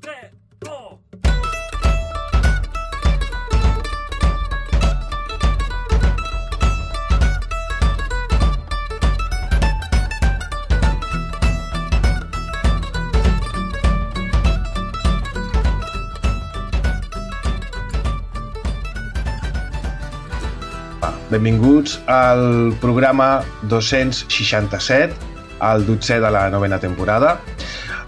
3, 2... Benvinguts al programa 267, el 12è de la 9a temporada.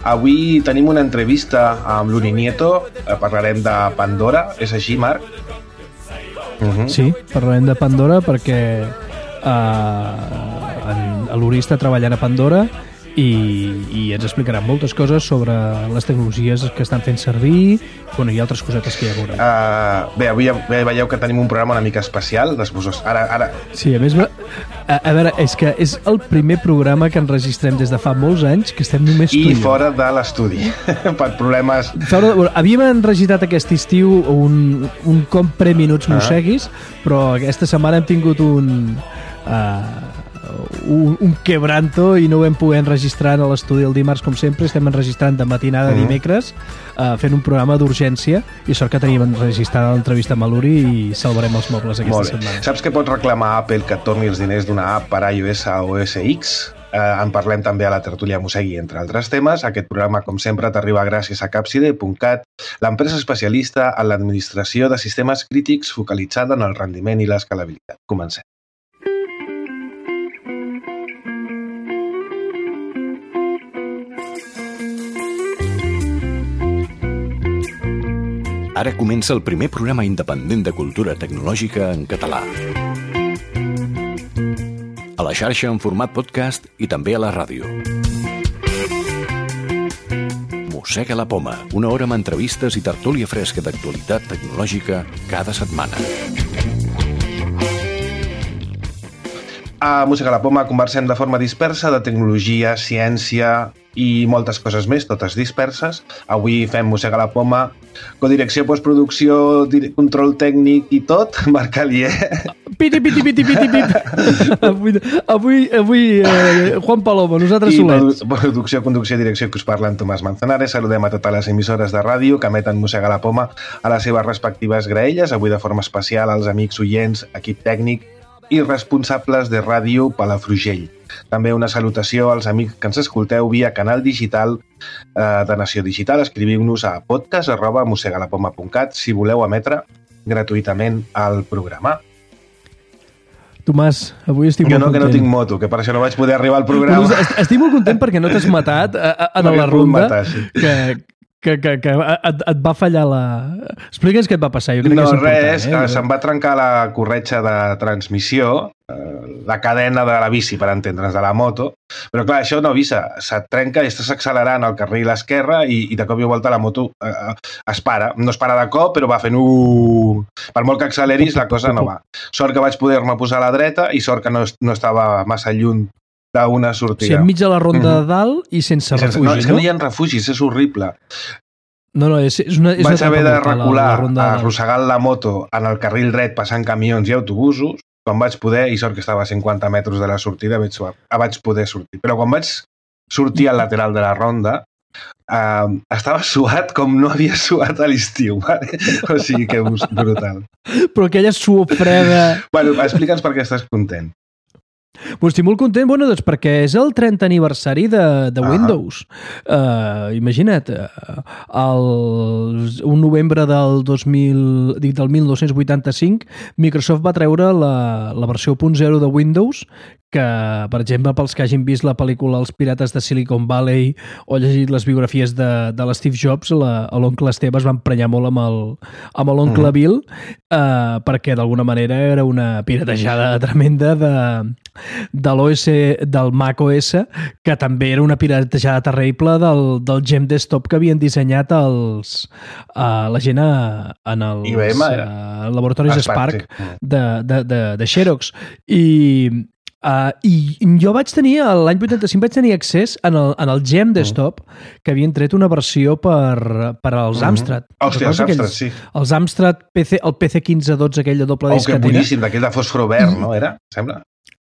Avui tenim una entrevista amb l'Uri Nieto, parlarem de Pandora, és així, Marc? Sí, parlarem de Pandora perquè l'Uri està treballant a Pandora i ens explicarà moltes coses sobre les tecnologies que estan fent servir, i altres cosetes que ja veurem. Bé, avui veieu que tenim un programa una mica especial. Ara... Sí, a més, a veure, és que és el primer programa que enregistrem des de fa molts anys que estem només tu i fora de l'estudi, per problemes... Havíem enregistrat aquest estiu un compre minuts mosseguis, però aquesta setmana hem tingut un quebranto i no ho vam poder enregistrar a l'estudi el dimarts com sempre. Estem enregistrant de matinada dimecres, fent un programa d'urgència, i sort que teníem enregistrada l'entrevista amb l'Uri i salvarem els mobles aquesta setmana. Saps que pots reclamar a Apple que et torni els diners d'una app per iOS o OS X? En parlem també a la tertúlia Mossegui, entre altres temes. Aquest programa, com sempre, t'arriba gràcies a Capside.cat, l'empresa especialista en l'administració de sistemes crítics focalitzada en el rendiment i l'escalabilitat. Comencem. Ara comença el primer programa independent de cultura tecnològica en català. A la xarxa en format podcast i també a la ràdio. Mossega la poma, una hora amb entrevistes i tertúlia fresca d'actualitat tecnològica cada setmana. A Mossega la poma conversem de forma dispersa de tecnologia, ciència i moltes coses més, totes disperses. Avui fem Mossega la poma, codirecció, postproducció, control tècnic i tot. Marc Alier. Piti. Avui Juan Palomo, nosaltres solets. I producció, conducció i direcció que us parlen Tomàs Manzanares. Saludem a totes les emissores de ràdio que emeten Mossega la poma a les seves respectives graelles. Avui de forma especial als amics oients, equip tècnic i responsables de ràdio Palafrugell. També una salutació als amics que ens escolteu via canal digital de Nació Digital. Escriviu-nos a podcast@mossegalapoma.cat si voleu emetre gratuïtament el programa. Tomàs, avui estic molt content. Que no tinc moto, que per això no vaig poder arribar al programa. Estic molt content perquè no t'has matat en la ronda, que et va fallar la... Explica'ns què et va passar. Jo crec que és important, se'm va trencar la corretja de transmissió, la cadena de la bici, per entendre'ns, de la moto, però clar, això no avisa, se't trenca i estàs accelerant al carril esquerre i de cop i volta la moto es para. No es para de cop, però va fent per molt que acceleris la cosa no va. Sort que vaig poder-me posar a la dreta i sort que no estava massa lluny d'una sortida. O sigui, enmig de la ronda de dalt i sense refugi, no? És que no hi ha refugis, és horrible. No, és una vaig haver de recular, arrossegant la moto en el carril dret, passant camions i autobusos, quan vaig poder, i sort que estava a 50 metres de la sortida, vaig poder sortir. Però quan vaig sortir al lateral de la ronda, estava suat com no havia suat a l'estiu, vale? O sigui que brutal. Però aquella suor freda... Bueno, explica'ns per què estàs content. Estic molt content, doncs perquè és el 30 aniversari de Windows. Imagina't, un novembre del 1985, Microsoft va treure la versió 1.0 de Windows, que, per exemple, pels que hagin vist la pel·lícula Els pirates de Silicon Valley o llegit les biografies de l'Steve Jobs, l'oncle Esteve es va emprenyar molt amb l'oncle Bill, perquè d'alguna manera era una piratejada tremenda de l'OS, del Mac OS, que també era una piratejada terrible del Gem Desktop que havien dissenyat la gent en els laboratoris Spark de Xerox. I jo vaig tenir, l'any 85 vaig tenir accés en el Gem Desktop, que havien tret una versió per als Amstrad. Hòstia, els Amstrad, sí. Els Amstrad, el PC1512, aquell de doble disquetera. Que boníssim, d'aquell de fòsfor verd, no era? Sembla?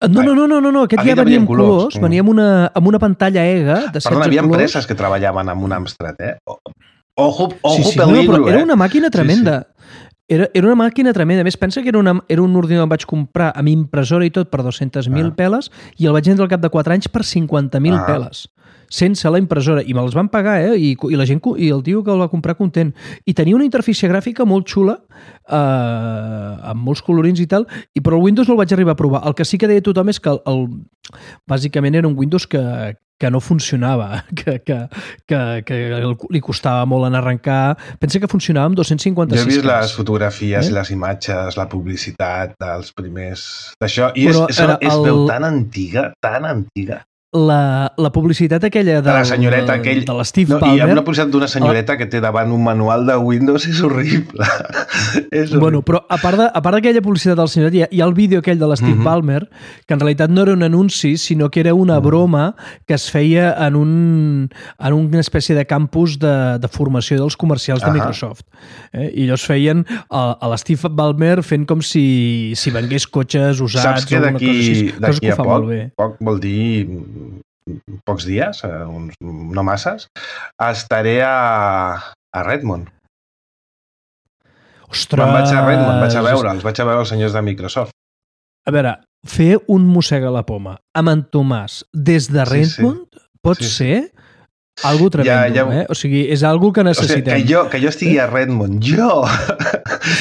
No, aquest ja venia amb colors. Venia amb una pantalla EGA de 16 colors. Perdona, hi havia empreses que treballaven amb un Amstrad, eh? Ojo Sí, peligro, però era una màquina tremenda. Sí. Era una màquina tremenda. A més, pensa que era un ordinador que em vaig comprar amb impressora i tot per 200.000 peles i el vaig vendre al cap de 4 anys per 50.000 peles. Sense la impressora. I me'ls van pagar, I la gent, i el tio que el va comprar content. I tenia una interfície gràfica molt xula, amb molts colorins i tal, però el Windows no el vaig arribar a provar. El que sí que deia tothom és que bàsicament era un Windows que no funcionava, que li costava molt en arrencar. Pensa que funcionava amb 256 Jo he vist caps. les fotografies, les imatges, la publicitat dels primers d'això, i es veu tan antiga, La publicitat aquella de la senyoreta aquell... de l'Steve Ballmer... Hi ha una publicitat d'una senyoreta que té davant un manual de Windows, és horrible. Bueno, però a part d'aquella publicitat del senyoret, hi ha el vídeo aquell de l'Steve Ballmer, que en realitat no era un anunci, sinó que era una broma que es feia en una espècie de campus de formació dels comercials de Microsoft. I ells feien a l'Steve Ballmer fent com si vengués cotxes usats... Saps que d'aquí a poc vol dir pocs dies, no masses, estaré a Redmond. Ostres! Me'n vaig a Redmond, vaig a veure els senyors de Microsoft. A veure, fer un mossega la poma amb en Tomàs des de Redmond pot ser algo tremendo, O sigui, és algo que necessitem. O sigui, que jo estigui a Redmond, jo!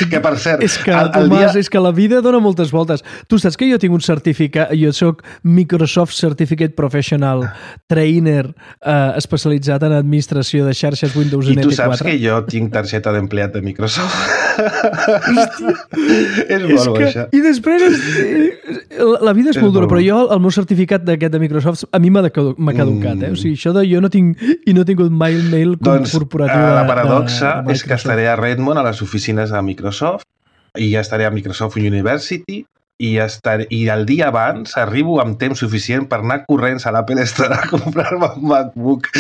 Que, per cert... És que, Tomàs, és que la vida dona moltes voltes. Tu saps que jo tinc un certificat, jo soc Microsoft Certificate Professional Trainer especialitzat en administració de xarxes Windows NT4. I tu saps que jo tinc targeta d'empleat de Microsoft? És molt bo, això. I després, la vida és molt dura, però jo, el meu certificat d'aquest de Microsoft, a mi m'ha caducat, O sigui, això de jo no tinc i no he tingut mai el mail corporatiu la paradoxa és que estaré a Redmond, a les oficines de Microsoft, i ja estaré a Microsoft University, i el dia abans arribo amb temps suficient per anar corrents a l'Apple Store a comprar-me un MacBook.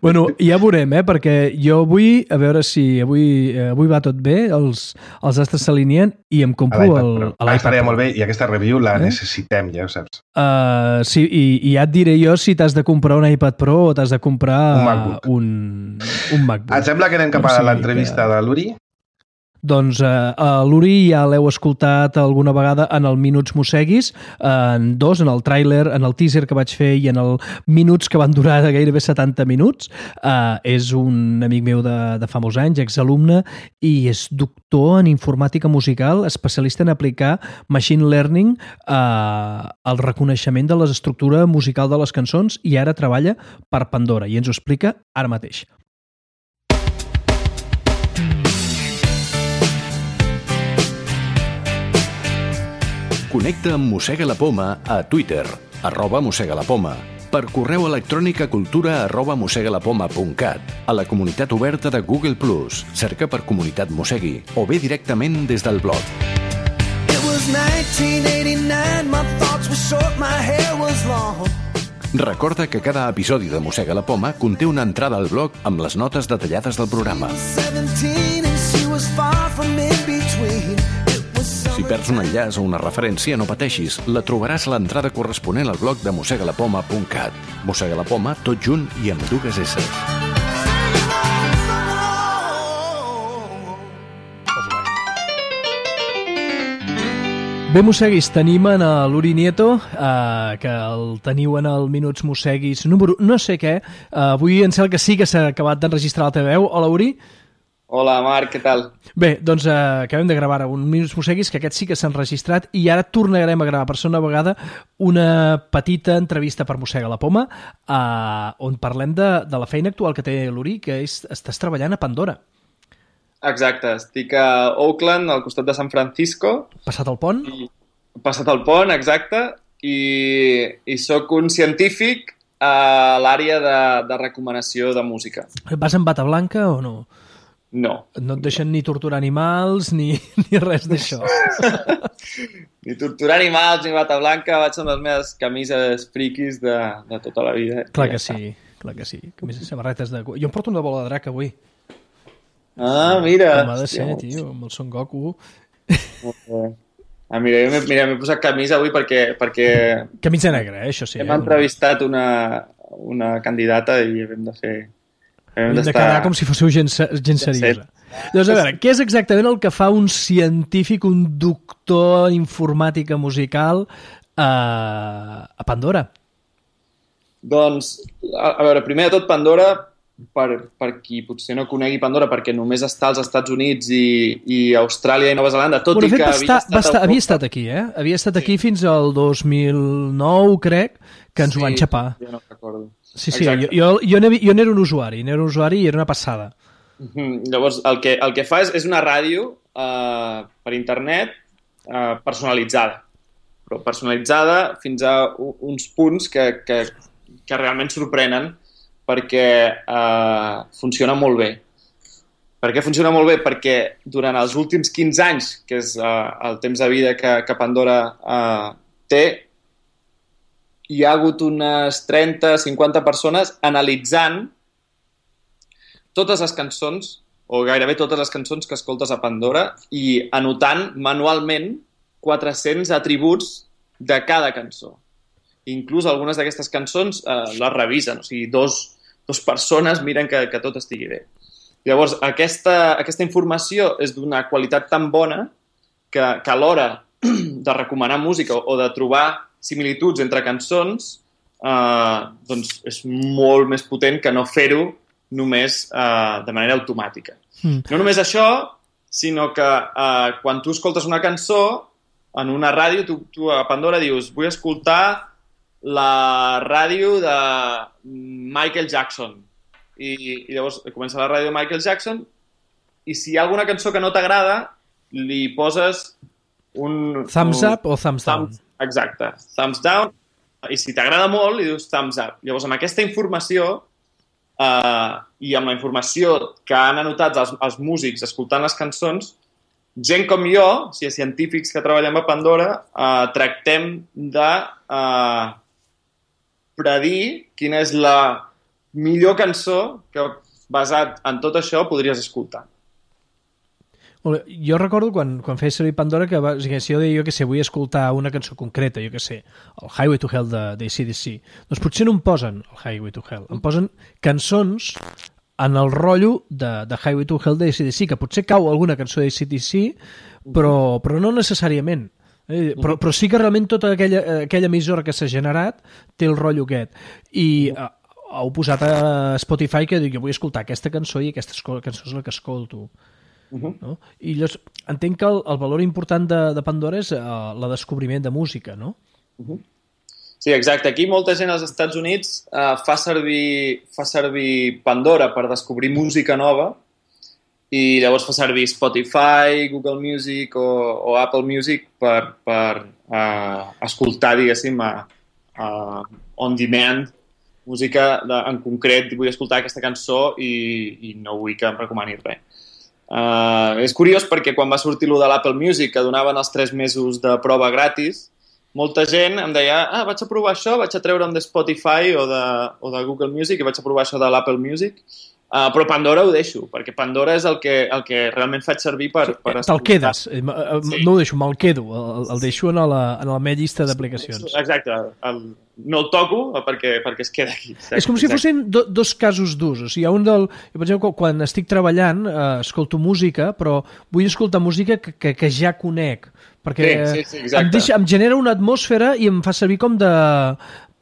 Bueno, ja veurem, perquè jo vull, a veure si avui va tot bé, els astres s'alineen i em compro l'iPad. Estaria molt bé, i aquesta review la necessitem, ja ho saps. Sí, i ja et diré jo si t'has de comprar un iPad Pro o t'has de comprar un MacBook. Et sembla que anem cap a l'entrevista de l'Uri? Doncs l'Uri ja l'heu escoltat alguna vegada en el Minuts Mosseguis, en el tràiler, en el teaser que vaig fer i en el Minuts que van durar gairebé 70 minuts. És un amic meu de fa molts anys, exalumne, i és doctor en informàtica musical, especialista en aplicar machine learning al reconeixement de l'estructura musical de les cançons, i ara treballa per Pandora, i ens ho explica ara mateix. Connecta amb Mossega la Poma a Twitter, @mossegalapoma, per correu electrònic a cultura@mossegalapoma.cat, a la comunitat oberta de Google+, cerca per Comunitat Mossegui, o bé directament des del blog. Recorda que cada episodi de Mossega la Poma conté una entrada al blog amb les notes detallades del programa. Si perds un enllaç o una referència, no pateixis. La trobaràs a l'entrada corresponent al blog de mossegalapoma.cat. Mossega la Poma, tot junt i amb 2 S. Bé, Mosseguis, tenim en l'Uri Nieto, que el teniu en el Minuts Mosseguis número no sé què. Avui em sembla que sí que s'ha acabat d'enregistrar la teva veu. Hola, Uri. Hola, Marc, què tal? Bé, doncs acabem de gravar un Minuts Mosseguis, que aquest sí que s'ha enregistrat, i ara tornarem a gravar per segona vegada una petita entrevista per Mossega la Poma, on parlem de la feina actual que té l'Uri, que estàs treballant a Pandora. Exacte, estic a Oakland, al costat de San Francisco. Passat el pont? Passat el pont, exacte, i sóc un científic a l'àrea de recomanació de música. Vas amb bata blanca o no? No. No et deixen ni torturar animals ni res d'això. Ni torturar animals, ni bata blanca, vaig amb les meves camises friquis de tota la vida. Clar que sí, clar que sí. Camises, samarretes de... Jo em porto una bola de drac avui. Ah, mira. Com ha de ser, tio, amb el Son Goku. Mira, m'he posat camisa avui perquè... Camisa negra, això sí. Hem entrevistat una candidata i hem de fer Hem de quedar com si fóssiu gent seriosa. Llavors, a veure, què és exactament el que fa un científic, un doctor en informàtica musical a Pandora? Doncs, a veure, primer de tot, Pandora, per qui potser no conegui Pandora, perquè només està als Estats Units i Austràlia i Nova Zelanda, tot i que havia estat aquí, eh? Havia estat aquí fins al 2009, crec, que ens ho van xapar. Jo no recordo. Sí, jo n'era un usuari, i era una passada. Llavors, el que fa és una ràdio per internet personalitzada, però personalitzada fins a uns punts que realment sorprenen, perquè funciona molt bé. Per què funciona molt bé? Perquè durant els últims 15 anys, que és el temps de vida que Pandora té, hi ha hagut unes 30-50 persones analitzant totes les cançons, o gairebé totes les cançons que escoltes a Pandora, i anotant manualment 400 atributs de cada cançó. Inclús algunes d'aquestes cançons les revisen, o sigui, dos persones miren que tot estigui bé. Llavors, aquesta informació és d'una qualitat tan bona que a l'hora de recomanar música o de trobar similituds entre cançons, doncs és molt més potent que no fer-ho només de manera automàtica. No només això, sinó que quan tu escoltes una cançó en una ràdio, tu a Pandora dius vull escoltar la ràdio de Michael Jackson. I llavors comença la ràdio de Michael Jackson i si hi ha alguna cançó que no t'agrada, li poses un... Thumbs up o thumbs down? Exacte, thumbs down. I si t'agrada molt, li dius thumbs up. Llavors, amb aquesta informació i amb la informació que han anotat els músics escoltant les cançons, gent com jo, o sigui, científics que treballem a Pandora, tractem de predir quina és la millor cançó que, basat en tot això, podries escoltar. Jo recordo quan feia servir Pandora que si jo deia, jo què sé, vull escoltar una cançó concreta, jo què sé, el Highway to Hell d'ACDC, doncs potser no em posen el Highway to Hell, em posen cançons en el rotllo de Highway to Hell d'ACDC, que potser cau alguna cançó d'ACDC, però no necessàriament. Però sí que realment tota aquella emissora que s'ha generat té el rotllo aquest. I heu posat a Spotify que diu, jo vull escoltar aquesta cançó i aquesta cançó és la que escolto. No? I llavors entenc que el valor important de Pandora és el descobriment de música, no? Sí, exacte. Aquí molta gent als Estats Units fa servir Pandora per descobrir música nova i llavors fa servir Spotify, Google Music o Apple Music per escoltar, diguéssim, on demand, música en concret. Vull escoltar aquesta cançó i no vull que em recomani res. És curiós perquè quan va sortir lo de l'Apple Music, que donaven els 3 mesos de prova gratis, molta gent em deia vaig a provar això, vaig a treure'm de Spotify o de Google Music i vaig a provar això de l'Apple Music, però Pandora ho deixo, perquè Pandora és el que realment faig servir per escoltar. Te'l quedes, no ho deixo, me'l quedo, el deixo en la meva llista d'aplicacions. Exacte, no el toco perquè es queda aquí. Exacte, és com si fossin dos casos d'ús. O sigui, hi ha un jo, per exemple, quan estic treballant, escolto música, però vull escoltar música que ja conec, perquè em genera una atmosfera i em fa servir com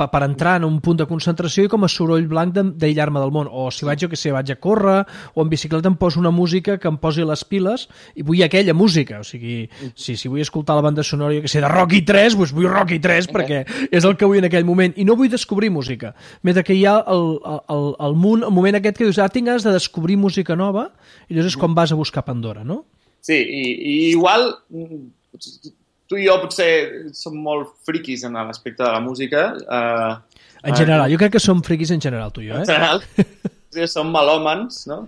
per entrar en un punt de concentració i com a soroll blanc d'aïllar-me del món. O si vaig a córrer o en bicicleta em poso una música que em posi les piles i vull aquella música. O sigui, si vull escoltar la banda sonora, jo que sé, de Rocky 3, doncs vull Rocky 3 perquè és el que vull en aquell moment. I no vull descobrir música. Mentre que hi ha el moment aquest que dius, tinc ganes de descobrir música nova i llavors és quan vas a buscar Pandora, no? Sí, i igual tu i jo potser som molt friquis en l'aspecte de la música. En general, jo crec que som friquis en general, tu i jo, En general, som melòmans, no?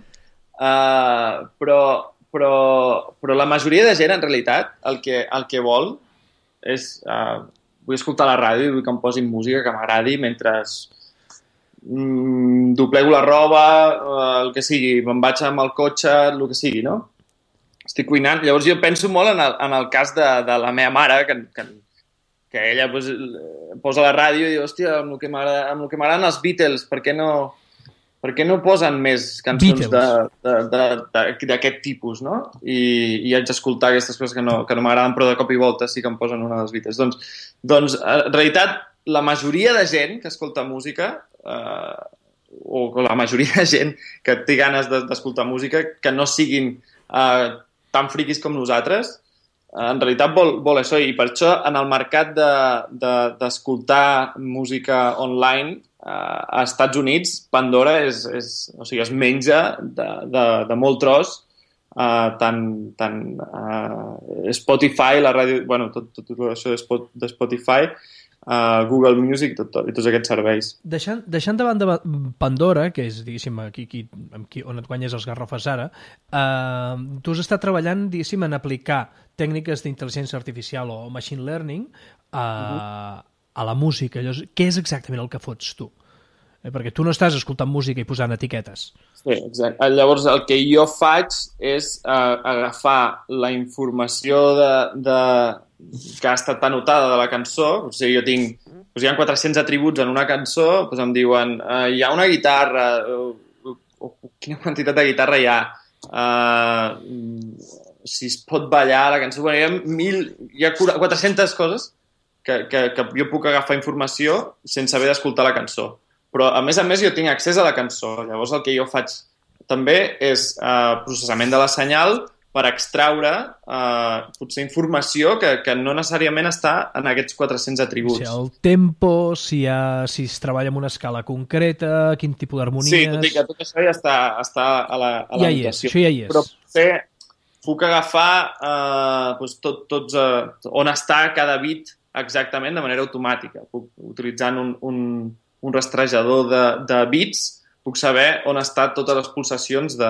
Però la majoria de gent, en realitat, el que vol és... vull escoltar la ràdio i vull que em posin música que m'agradi mentre doblego la roba, el que sigui, me'n vaig amb el cotxe, el que sigui, no? Estic cuinant. Llavors jo penso molt en el cas de la meva mare, que ella posa la ràdio i diu, hòstia, amb el que m'agraden els Beatles, per què no per què no posen més cançons Beatles. d'aquest tipus, no? I haig d'escoltar aquestes coses que no m'agraden, però de cop i volta sí que em posen una dels Beatles. Doncs en realitat, la majoria de gent que escolta música, o la majoria de gent que té ganes d'escoltar música, que no siguin tan friquis com nosaltres, en realitat vol això, i per això en el mercat d'escoltar música online a Estats Units, Pandora es menja de molt tros, tant Spotify, la ràdio, bueno, tot això de Spotify, Google Music i tots aquests serveis. Deixant de banda Pandora, que és, diguéssim, on et guanyes els garrofes ara, tu has estat treballant, diguéssim, en aplicar tècniques d'intel·ligència artificial o machine learning a la música. Llavors, què és exactament el que fots tu? Perquè tu no estàs escoltant música i posant etiquetes. Sí, exacte. Llavors, el que jo faig és agafar la informació que ha estat anotada de la cançó. O sigui, jo tinc... hi ha 400 atributs en una cançó, doncs em diuen hi ha una guitarra, quina quantitat de guitarra hi ha, si es pot ballar la cançó. Bueno, hi ha 400 coses que jo puc agafar informació sense haver d'escoltar la cançó. Però, a més, jo tinc accés a la cançó. Llavors, el que jo faig també és processament de la senyal per extraure potser informació que no necessàriament està en aquests 400 atributs. O sigui, el tempo, si es treballa amb una escala concreta, quin tipus d'harmonies... Sí, tot això ja està a la notació. Això ja hi és. Però potser puc agafar tots on està cada bit exactament de manera automàtica. Utilitzant un rastrejador de bits, puc saber on estan totes les pulsacions de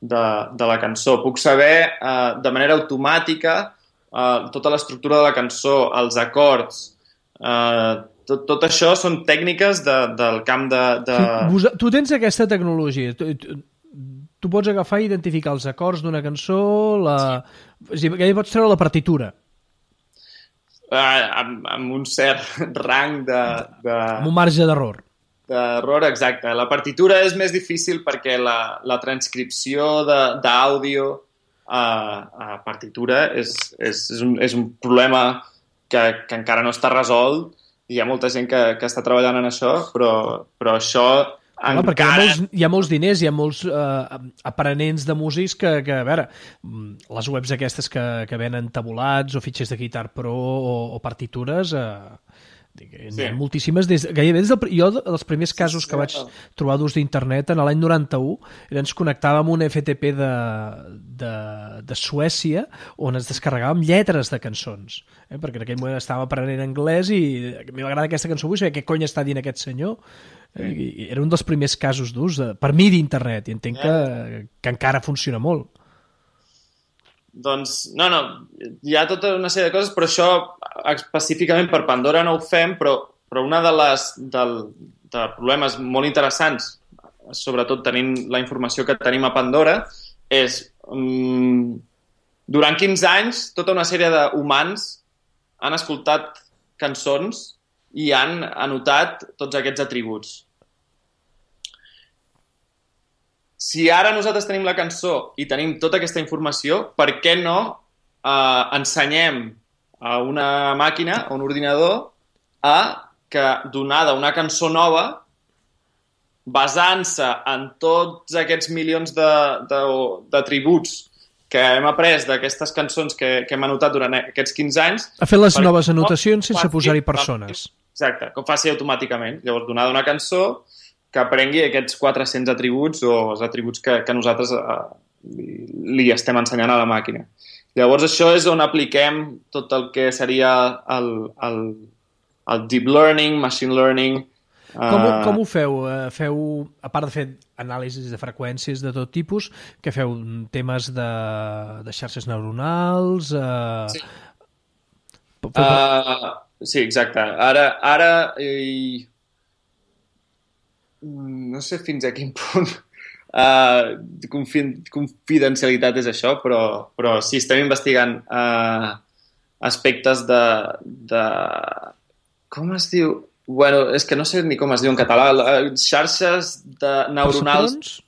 la cançó. Puc saber de manera automàtica tota l'estructura de la cançó, els acords. Tot això són tècniques del camp de... Tu tens aquesta tecnologia. Tu pots agafar i identificar els acords d'una cançó, és a dir, que pots treure la partitura. Amb un cert rang amb un marge d'error. D'error, exacte. La partitura és més difícil perquè la transcripció d'àudio a partitura és un problema que encara no està resolt i hi ha molta gent que està treballant en això, però això encara... Perquè hi ha molts diners, hi ha molts aprenents de músics que, a veure, les webs aquestes que venen tabulats o fitxers de Guitar Pro o partitures... N'hi ha moltíssimes. Gairebé jo, dels primers casos que vaig trobar d'ús d'internet, en l'any 91, ens connectàvem amb un FTP de Suècia on ens descarregàvem lletres de cançons. Perquè en aquell moment estàvem aprenent anglès i a mi m'agrada aquesta cançó, vull saber què cony està dient aquest senyor. Era un dels primers casos d'ús, per mi, d'internet, i entenc que encara funciona molt. Doncs, no, hi ha tota una sèrie de coses, però això específicament per Pandora no ho fem, però una de problemes molt interessants, sobretot tenint la informació que tenim a Pandora, és durant 15 anys tota una sèrie d'humans han escoltat cançons i han anotat tots aquests atributs. Si ara nosaltres tenim la cançó i tenim tota aquesta informació, per què no ensenyem a una màquina, a un ordinador, que donada una cançó nova, basant-se en tots aquests milions d'atributs que hem après d'aquestes cançons que hem anotat durant aquests 15 anys... A fer les noves anotacions sense posar-hi persones. Exacte, que ho faci automàticament. Llavors, donada una cançó... que aprengui aquests 400 atributs o els atributs que nosaltres li estem ensenyant a la màquina. Llavors, això és on apliquem tot el que seria el deep learning, machine learning... Com ho feu? Feu, a part de fer anàlisis de freqüències de tot tipus, que feu temes de xarxes neuronals... Sí. Sí, exacte. Ara no sé fins a quin punt confidencialitat és això, però sí, estem investigant aspectes de com es diu? Bueno, és que no sé ni com es diu en català. Xarxes neuronals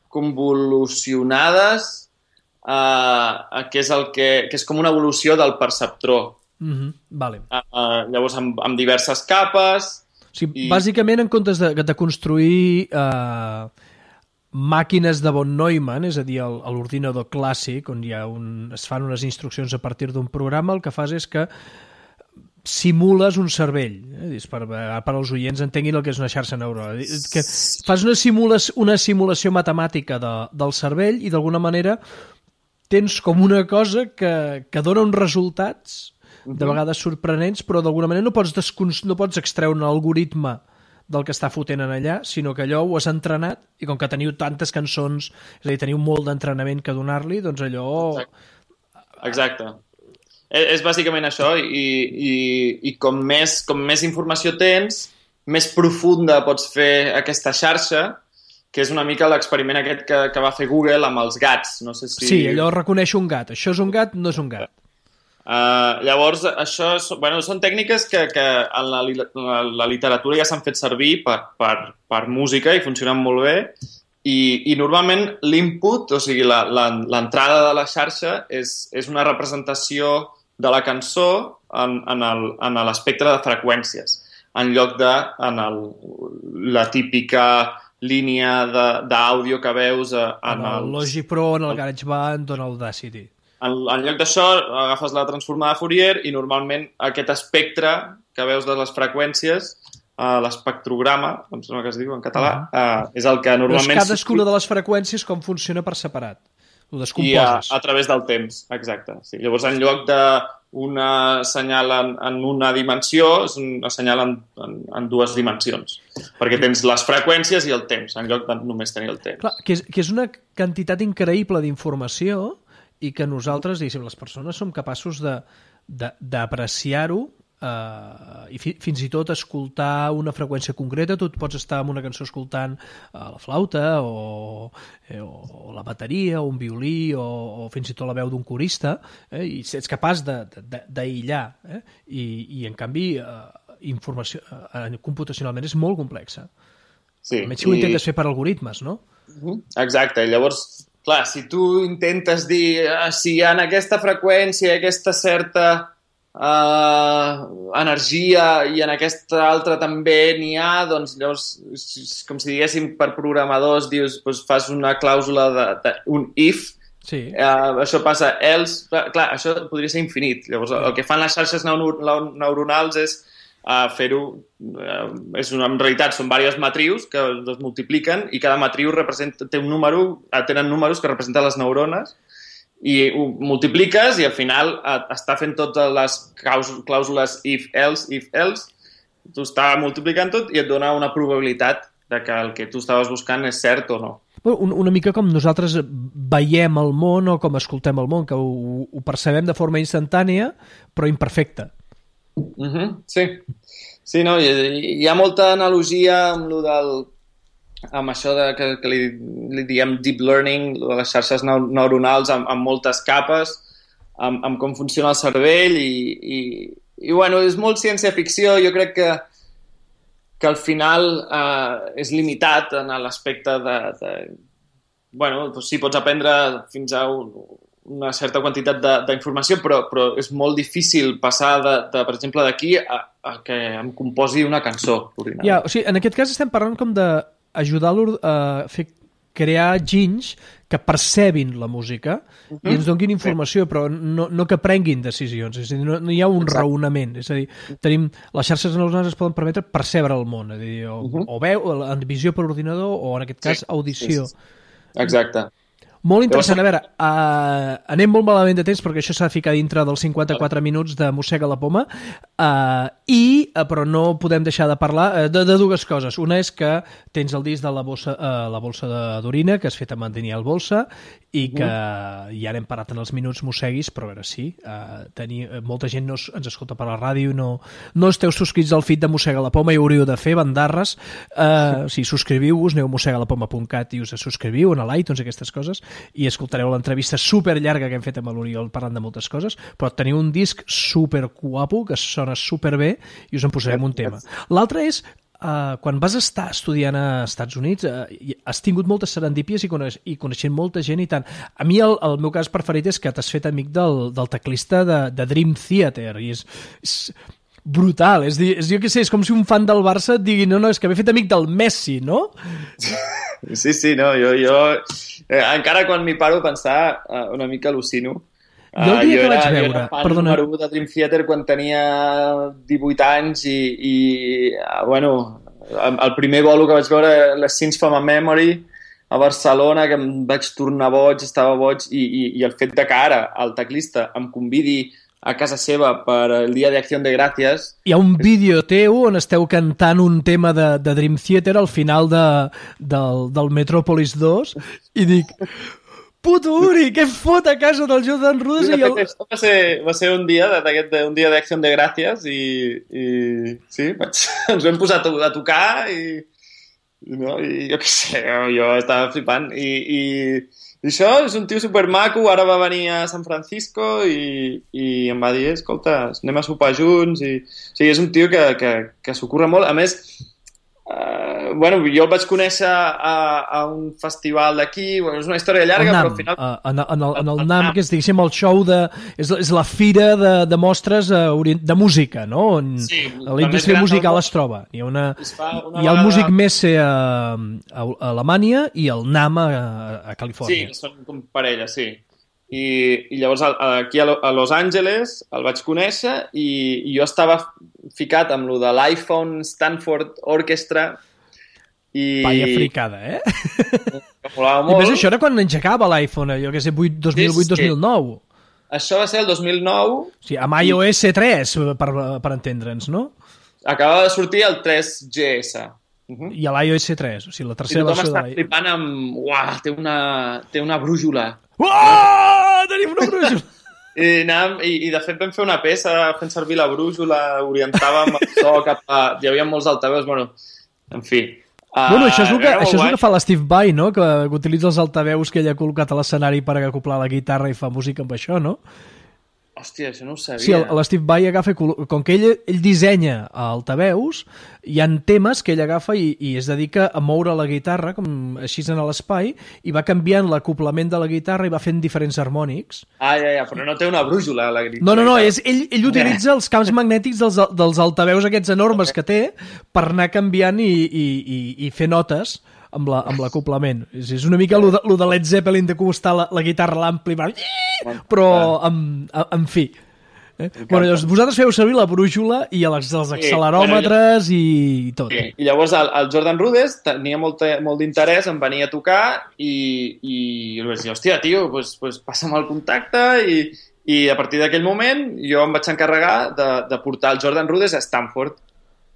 convolucionades, que és com una evolució del perceptró. Vale. Llavors, amb diverses capes... O sigui, bàsicament, en comptes de construir màquines de von Neumann, és a dir, l'ordinador clàssic, on es fan unes instruccions a partir d'un programa, el que fas és que simules un cervell, per als oients entenguin el que és una xarxa neuronal. Que fas una simulació matemàtica del cervell i d'alguna manera tens com una cosa que dona uns resultats de vegades sorprenents, però d'alguna manera no pots extreure un algoritme del que està fotent en allà, sinó que allò ho has entrenat i com que teniu tantes cançons, és a dir, teniu molt d'entrenament que donar-li, doncs allò... Exacte. És bàsicament això i com més informació tens, més profunda pots fer aquesta xarxa, que és una mica l'experiment aquest que va fer Google amb els gats. No sé si... Sí, allò reconeix un gat. Això és un gat, no és un gat. Llavors, això són tècniques que en la literatura ja s'han fet servir per música i funcionen molt bé. I normalment l'input, o sigui, l'entrada de la xarxa és una representació de la cançó en l'espectre de freqüències, en lloc de la típica línia d'àudio que veus en el Logic Pro, en el GarageBand o en l'Audacity. En lloc d'això, agafes la transformada de Fourier i normalment aquest espectre que veus de les freqüències, l'espectrograma, em sembla que es diu en català, és el que normalment... Però és cadascuna de les freqüències com funciona per separat. Ho descomposes. I a través del temps, exacte. Sí. Llavors, en lloc d'una senyal en una dimensió, és una senyal en dues dimensions. Perquè tens les freqüències i el temps, en lloc de només tenir el temps. Clar, que és una quantitat increïble d'informació i que nosaltres, diguéssim, les persones som capaços d'apreciar-ho i fins i tot escoltar una freqüència concreta. Tu pots estar en una cançó escoltant la flauta o la bateria o un violí o fins i tot la veu d'un corista i ets capaç d'aïllar i en canvi informació computacionalment és molt complexa. Sí, a més si ho intentes fer per algoritmes, no? Exacte, i llavors clar, si tu intentes dir si en aquesta freqüència, aquesta certa energia i en aquesta altra també n'hi ha, doncs llavors, com si diguéssim per programadors, dius, doncs fas una clàusula d'un if, sí. Això passa else, clar, això podria ser infinit. Llavors, el que fan les xarxes neuronals és fer-ho, en realitat són diverses matrius que es multipliquen i cada matriu té un número, tenen números que representen les neurones i ho multipliques i al final està fent totes les clàusules if, else, tu està multiplicant tot i et dona una probabilitat de que el que tu estaves buscant és cert o no. Una mica com nosaltres veiem el món o com escoltem el món, que ho percebem de forma instantània però imperfecta. Sí, no, hi ha molta analogia amb això que li diem deep learning, de les xarxes neuronals amb moltes capes, amb com funciona el cervell i bueno, és molt ciència-ficció. Jo crec que al final és limitat en l'aspecte bueno, doncs sí, pots aprendre fins a una certa quantitat d'informació, però és molt difícil passar, per exemple, d'aquí a que em composi una cançó. Ja, o sigui, en aquest cas estem parlant com d'ajudar-lo a crear ginys que percebin la música i ens donguin informació, però no que prenguin decisions. És a dir, no hi ha un raonament. És a dir, les xarxes neuronals es poden permetre percebre el món, és a dir, o veu, en visió per ordinador o, en aquest cas, audició. Exacte. Molt interessant. A veure, anem molt malament de temps perquè això s'ha de ficar dintre dels 54 minuts de Mossega la Poma però no podem deixar de parlar de dues coses. Una és que tens el disc de la Bolsa d'Orina, que has fet amb en Daniel Bolsa i que ja n'hem parat en els minuts mosseguis, però a veure, sí, molta gent no ens escolta per la ràdio, no esteu subscrits al feed de Mossega la Poma i ho hauríeu de fer, bandarres. Si subscriviu-vos, aneu a mossegalapoma.cat i us subscriviu en l'iTunes, aquestes coses. i escoltareu l'entrevista superllarga que hem fet amb l'Oriol parlant de moltes coses, però teniu un disc superguapo que sona superbé i us en posarem un tema. L'altre és quan vas estar estudiant a Estats Units has tingut moltes serendípies i coneixent molta gent i tant. A mi el meu cas preferit és que t'has fet amic del teclista de Dream Theater i és brutal, jo què sé, és com si un fan del Barça et digui, no, és que m'he fet amic del Messi, no? Sí, no, jo encara quan m'hi paro a pensar una mica al·lucino. Jo el dia que vaig veure... Jo era fan número 1 de Dream Theater quan tenia 18 anys i bueno, el primer bolo que vaig veure, les Sins from a Memory, a Barcelona, que em vaig tornar boig, estava boig, i el fet de que ara el teclista em convidi a casa seva per el dia d'Acció de Gràcies... Hi ha un vídeo teu on esteu cantant un tema de Dream Theater al final del Metropolis 2 i dic... Puto Uri, què fot a casa del Jordan Rudess? Va ser un dia d'Acció de Gràcies i sí, ens vam posar a tocar i jo què sé, jo estava flipant i això és un tio supermaco, ara va venir a San Francisco i em va dir, escolta, anem a sopar junts o sigui, és un tio que s'ho curra molt, a més bueno, jo el vaig conèixer a un festival d'aquí, bueno, és una història llarga, NAM, però al final... en el NAM, que és, diguéssim, el show és la fira de mostres de música, no? On la indústria musical es troba. Hi ha el Music Messe a Alemanya i el NAM a Califòrnia. Sí, són com parella, sí. I llavors aquí a Los Angeles el vaig conèixer i jo estava ficat amb lo de l'iPhone Stanford Orchestra i... Vaya fricada, Que molava molt. I més això era quan engegava l'iPhone, jo que sé, 2008-2009. Això va ser el 2009. Sí, amb iOS 3, per entendre'ns, no? Acabava de sortir el 3GS. I a l'iOS 3, o sigui, la tercera versió de l'iPhone. I tothom està flipant amb... Uah, té una brújula. Uah, tenim una brújula! I de fet vam fer una peça fent servir la brújula, orientàvem el so cap a... Hi havia molts altaveus, bueno, en fi. Bueno, això és el que fa l'Steve Vai, no? Que utilitza els altaveus que ell ha col·locat a l'escenari per acoplar la guitarra i fa música amb això, no? Hòstia, això no ho sabia. Sí, l'Steve Vai agafa... Com que ell dissenya altaveus, hi ha temes que ell agafa i es dedica a moure la guitarra, com així en l'espai, i va canviant l'acoplament de la guitarra i va fent diferents harmònics. Ja, però no té una brújula, la guitarra. No, ell utilitza els camps magnètics dels altaveus aquests enormes que té per anar canviant i fer notes amb l'acoplament. És una mica lo de Led Zeppelin de costar la guitarra a l'ampli, però en fi. Bueno, llavors, vosaltres feu servir la brújula i els acceleròmetres i tot. Sí. I llavors el Jordan Rudess tenia molt d'interès en venir a tocar i vaig dir, hòstia, tio, pues passa'm el contacte i a partir d'aquell moment jo em vaig encarregar de portar el Jordan Rudess a Stanford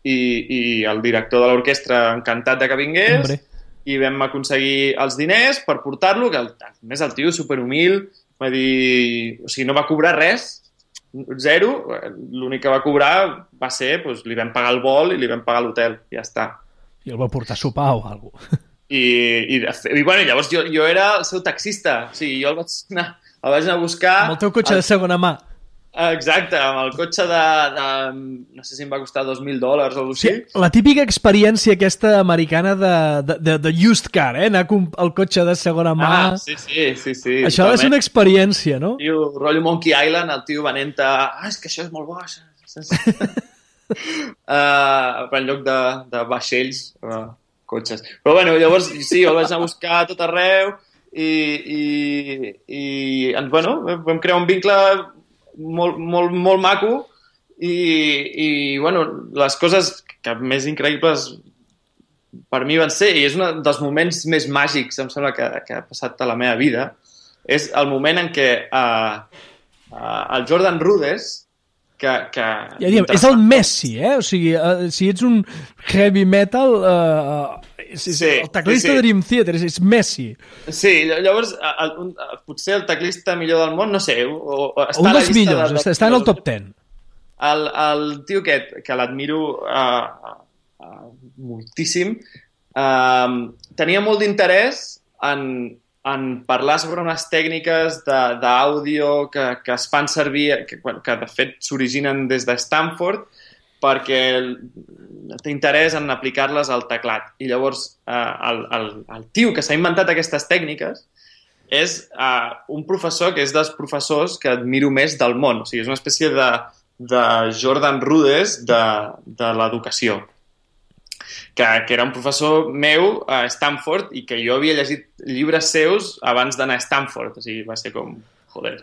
i el director de l'orquestra encantat de que vingués. Hombre. I vam aconseguir els diners per portar-lo, que a més el tio superhumil va dir... O sigui, no va cobrar res, zero, l'únic que va cobrar va ser, doncs, li vam pagar el vol i li vam pagar l'hotel, ja està. I el va portar a sopar o alguna cosa. I bueno, llavors jo era el seu taxista, o sigui, jo el vaig anar a buscar... Amb el teu cotxe de segona mà. Exacte, amb el cotxe de no sé si em va costar $2,000 o alguna cosa així. La típica experiència aquesta americana de used car, anar al cotxe de segona mà. Sí. Això ha de ser una experiència, no? Tio, rotllo Monkey Island, el tio venent és que això és molt bo. En lloc de vaixells, cotxes. Però bueno, llavors sí, el vaig anar a buscar a tot arreu i bueno, vam crear un vincle molt maco i bueno, les coses que més increïbles per mi van ser, i és un dels moments més màgics, em sembla, que ha passat a la meva vida, és el moment en què el Jordan Rudess és el Messi, o sigui, si ets un heavy metal el teclista de Dream Theater és Messi. Sí, llavors potser el teclista millor del món, no sé, un dels millors, està en el top 10. El tio aquest, que l'admiro moltíssim, tenia molt d'interès en en parlar sobre unes tècniques d'àudio que es fan servir, que de fet s'originen des de Stanford, perquè té interès en aplicar-les al teclat. I llavors el tio que s'ha inventat aquestes tècniques és un professor que és dels professors que admiro més del món. O sigui, és una espècie de Jordan Rudess de l'educació. Que era un professor meu a Stanford i que jo havia llegit llibres seus abans d'anar a Stanford. O sigui, va ser com... Joder.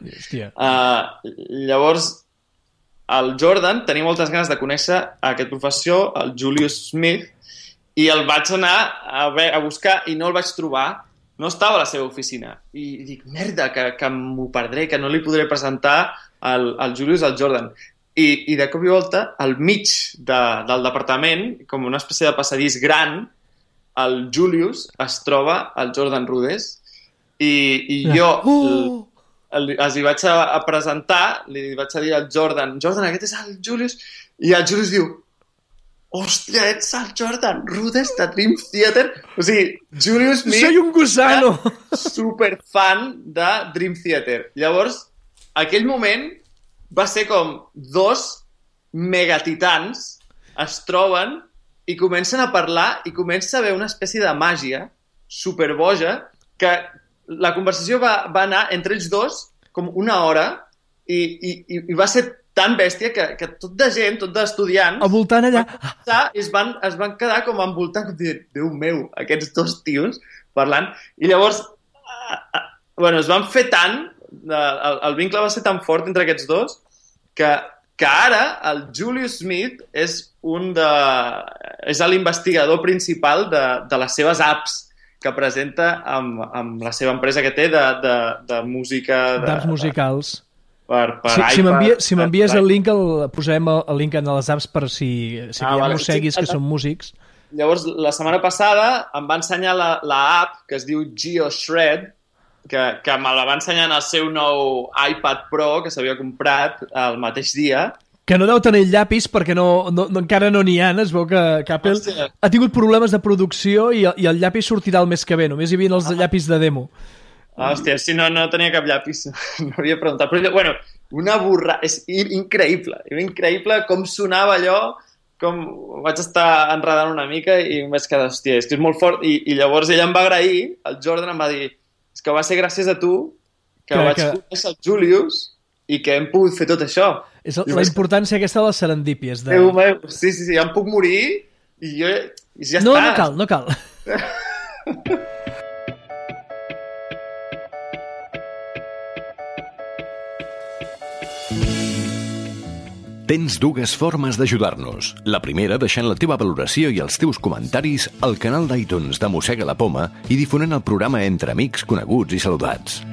Llavors, el Jordan tenia moltes ganes de conèixer aquest professor, el Julius Smith, i el vaig anar a buscar i no el vaig trobar. No estava a la seva oficina. I dic, merda, que m'ho perdré, que no li podré presentar al Julius al Jordan. I de cop i volta, al mig del departament, com una espècie de passadís gran, el Julius es troba al Jordan Rudess i jo els hi vaig a presentar, li vaig a dir al Jordan, aquest és el Julius, i el Julius diu, hòstia, ets el Jordan Rudess de Dream Theater? O sigui, Julius Smith... Soy un gusano! Superfan de Dream Theater. Llavors, aquell moment va ser com dos megatitans es troben i comencen a parlar i comença a haver una espècie de màgia superboja que la conversació va anar entre ells dos com una hora i va ser tan bèstia que tot de gent, tot d'estudiants envoltant allà es van quedar com envoltant, com dir, Déu meu, aquests dos tios parlant, i llavors es van fer tant, el vincle va ser tan fort entre aquests dos que ara el Julius Smith és l'investigador principal de les seves apps que presenta amb la seva empresa que té de música... D'apps musicals. Per si m'envies el link, posarem el link en les apps per si no seguis, que són músics. Llavors, la setmana passada em va ensenyar l'app que es diu GeoShred, que me la va ensenyar en el seu nou iPad Pro que s'havia comprat el mateix dia. Que no deu tenir llapis perquè encara no n'hi ha. Es veu que Apple ha tingut problemes de producció i el llapis sortirà el mes que ve. Només hi havia els llapis de demo. Hòstia, si no tenia cap llapis. No havia preguntat. Però, bueno, una burra... És increïble. Era increïble com sonava allò, com vaig estar enredant una mica i em vaig quedar, hòstia, és que és molt fort. I llavors ella em va agrair, el Jordan em va dir, és que va ser gràcies a tu que vaig conèixer el Julius i que hem pogut fer tot això. És la importància aquesta de les serendípies. Sí, ja em puc morir i jo... ja no, està. No cal. Tens dues formes d'ajudar-nos. La primera, deixant la teva valoració i els teus comentaris al canal d'iTunes de Mossega la Poma i difonent el programa entre amics, coneguts i saludats.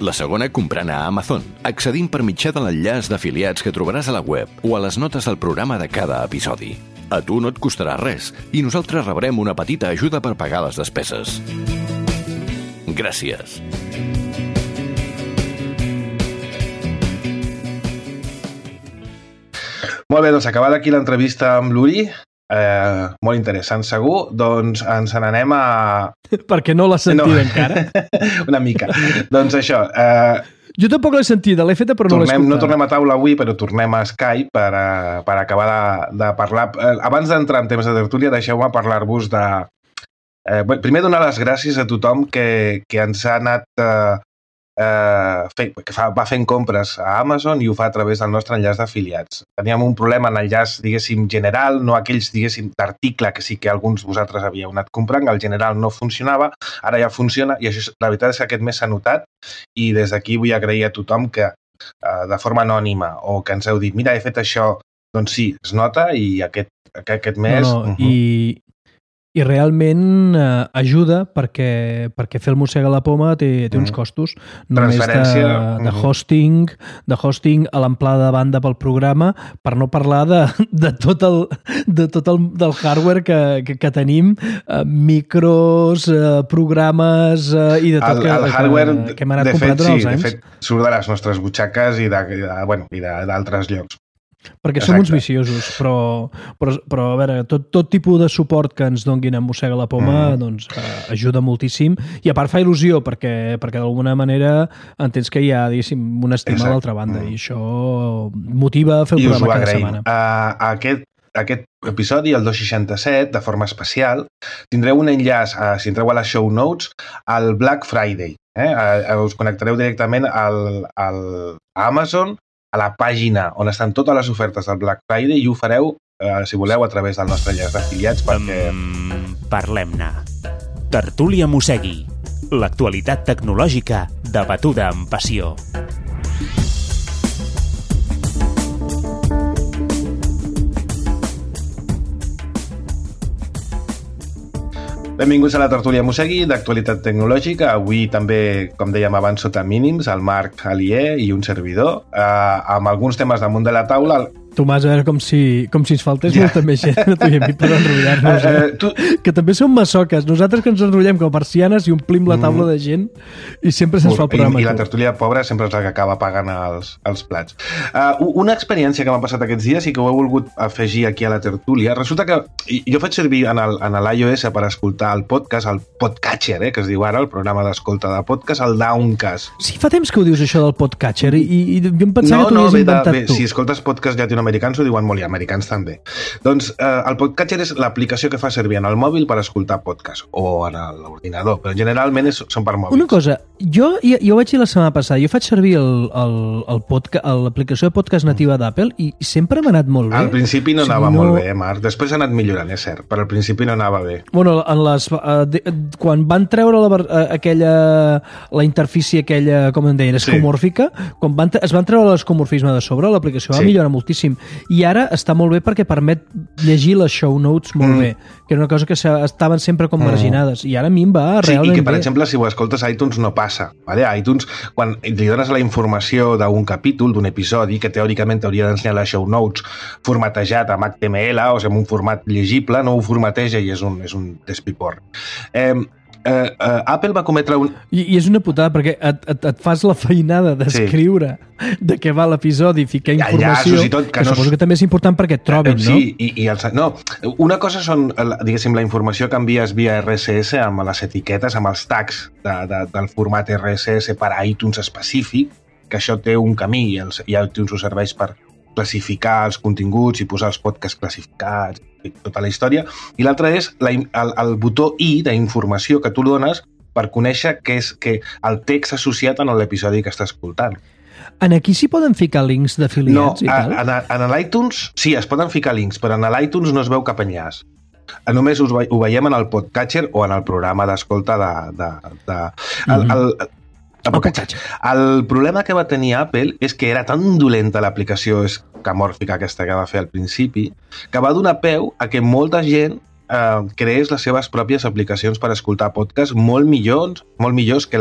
La segona, comprant a Amazon, accedint per mitjà de l'enllaç d'afiliats que trobaràs a la web o a les notes del programa de cada episodi. A tu no et costarà res i nosaltres rebrem una petita ajuda per pagar les despeses. Gràcies. Molt bé, doncs acabada aquí l'entrevista amb l'Uri, molt interessant segur, doncs ens n'anem a... Perquè no l'has sentit encara. Una mica. Doncs això... Jo tampoc l'he sentida, l'he feta però no l'he escoltat. No tornem a taula avui, però tornem a Skype per acabar de parlar. Abans d'entrar en temps de tertúlia, deixeu-me parlar-vos de... primer donar les gràcies a tothom que ens ha anat... va fent compres a Amazon i ho fa a través del nostre enllaç d'afiliats. Teníem un problema en l'enllaç, diguéssim, general, no aquells, diguéssim, d'article que sí que alguns de vosaltres havíeu anat comprant, el general no funcionava, ara ja funciona i això, la veritat és que aquest mes s'ha notat i des d'aquí vull agrair a tothom que de forma anònima o que ens heu dit, mira, he fet això, doncs sí, es nota i aquest mes... I realment ajuda perquè fer el Mossega la Poma té uns costos. Només de hosting a l'amplada de banda pel programa, per no parlar de tot el hardware que tenim, micros, programes i de tot que hem anat comprant durant els anys. De fet, surt de les nostres butxaques i d'altres llocs. Perquè som uns viciosos, però a veure, tot tipus de suport que ens donguin a Mossega la Poma doncs, ajuda moltíssim, i a part fa il·lusió perquè d'alguna manera entens que hi ha, diguéssim, una estima a l'altra banda, i això motiva a fer el programa cada setmana. Aquest episodi, el 267, de forma especial, tindreu un enllaç, si entreu a les show notes, al Black Friday. Us connectareu directament a Amazon, a la pàgina on estan totes les ofertes del Black Friday, i ho fareu, si voleu, a través del nostre enllaç d'afiliats, perquè... Parlem-ne. Tertúlia Mossegui. L'actualitat tecnològica debatuda amb passió. Benvinguts a la Tertúlia Mossegui d'actualitat tecnològica. Avui també, com dèiem abans, sota mínims, el Marc Alier i un servidor, amb alguns temes damunt de la taula. Tomàs, a veure, com si ens faltés molta més gent a tu i a mi per enrotllar-nos. Que també som massoques. Nosaltres que ens enrotllem com a persianes i omplim la taula de gent i sempre se'ns fa el programa. I la tertúlia pobra sempre és la que acaba pagant els plats. Una experiència que m'ha passat aquests dies i que ho he volgut afegir aquí a la tertúlia. Resulta que jo faig servir en l'iOS per escoltar el podcast, el Podcatcher, que es diu ara, el programa d'escolta de podcast, el Downcast. Sí, fa temps que ho dius, això del Podcatcher, i jo em pensava que t'ho havies inventat tu. Si escoltes podcast llatinoamericans ho diuen molt, i americans també. Doncs el Podcatcher és l'aplicació que fa servir en el mòbil per escoltar podcast, o en l'ordinador, però generalment són per mòbils. Una cosa, jo ho vaig dir la setmana passada, jo faig servir l'aplicació de podcast nativa d'Apple i sempre m'ha anat molt bé. Al principi no anava molt bé, Marc. Després ha anat millorant, és cert, però al principi no anava bé. Bueno, quan van treure la interfície aquella, com en deien, escomòrfica, quan es van treure l'escomorfisme de sobre, l'aplicació va millorar moltíssim. I ara està molt bé perquè permet llegir les show notes molt bé, que era una cosa que estaven sempre com marginades, i ara a mi em va realment bé. I que, per exemple, si ho escoltes a iTunes no passa. Vale? A iTunes, quan li dones la informació d'un capítol, d'un episodi, que teòricament t'hauria d'ensenyar les show notes formatejat amb HTML, o sigui, amb un format llegible, no ho formateja i és un despipor. Apple va cometre un... I és una putada, perquè et fas la feinada d'escriure de què va l'episodi, ficar informació, que suposo que també és important perquè et trobin, no? Una cosa són, diguéssim, la informació que envies via RSS amb les etiquetes, amb els tags del format RSS per a iTunes específic, que això té un camí i iTunes ho serveix per classificar els continguts i posar els podcasts classificats i tota la història. I l'altre és el botó I d'informació que tu dones per conèixer què és el text associat en l'episodi que estàs escoltant. En aquí s'hi poden ficar links d'afiliats i tal? No, en l'iTunes sí, es poden ficar links, però en l'iTunes no es veu cap enllaç. Només ho veiem en el Podcatcher o en el programa d'escolta El problema que va tenir Apple és que era tan dolenta l'aplicació escamòrfica aquesta que va fer al principi que va donar peu a que molta gent creés les seves pròpies aplicacions per escoltar podcasts molt millors que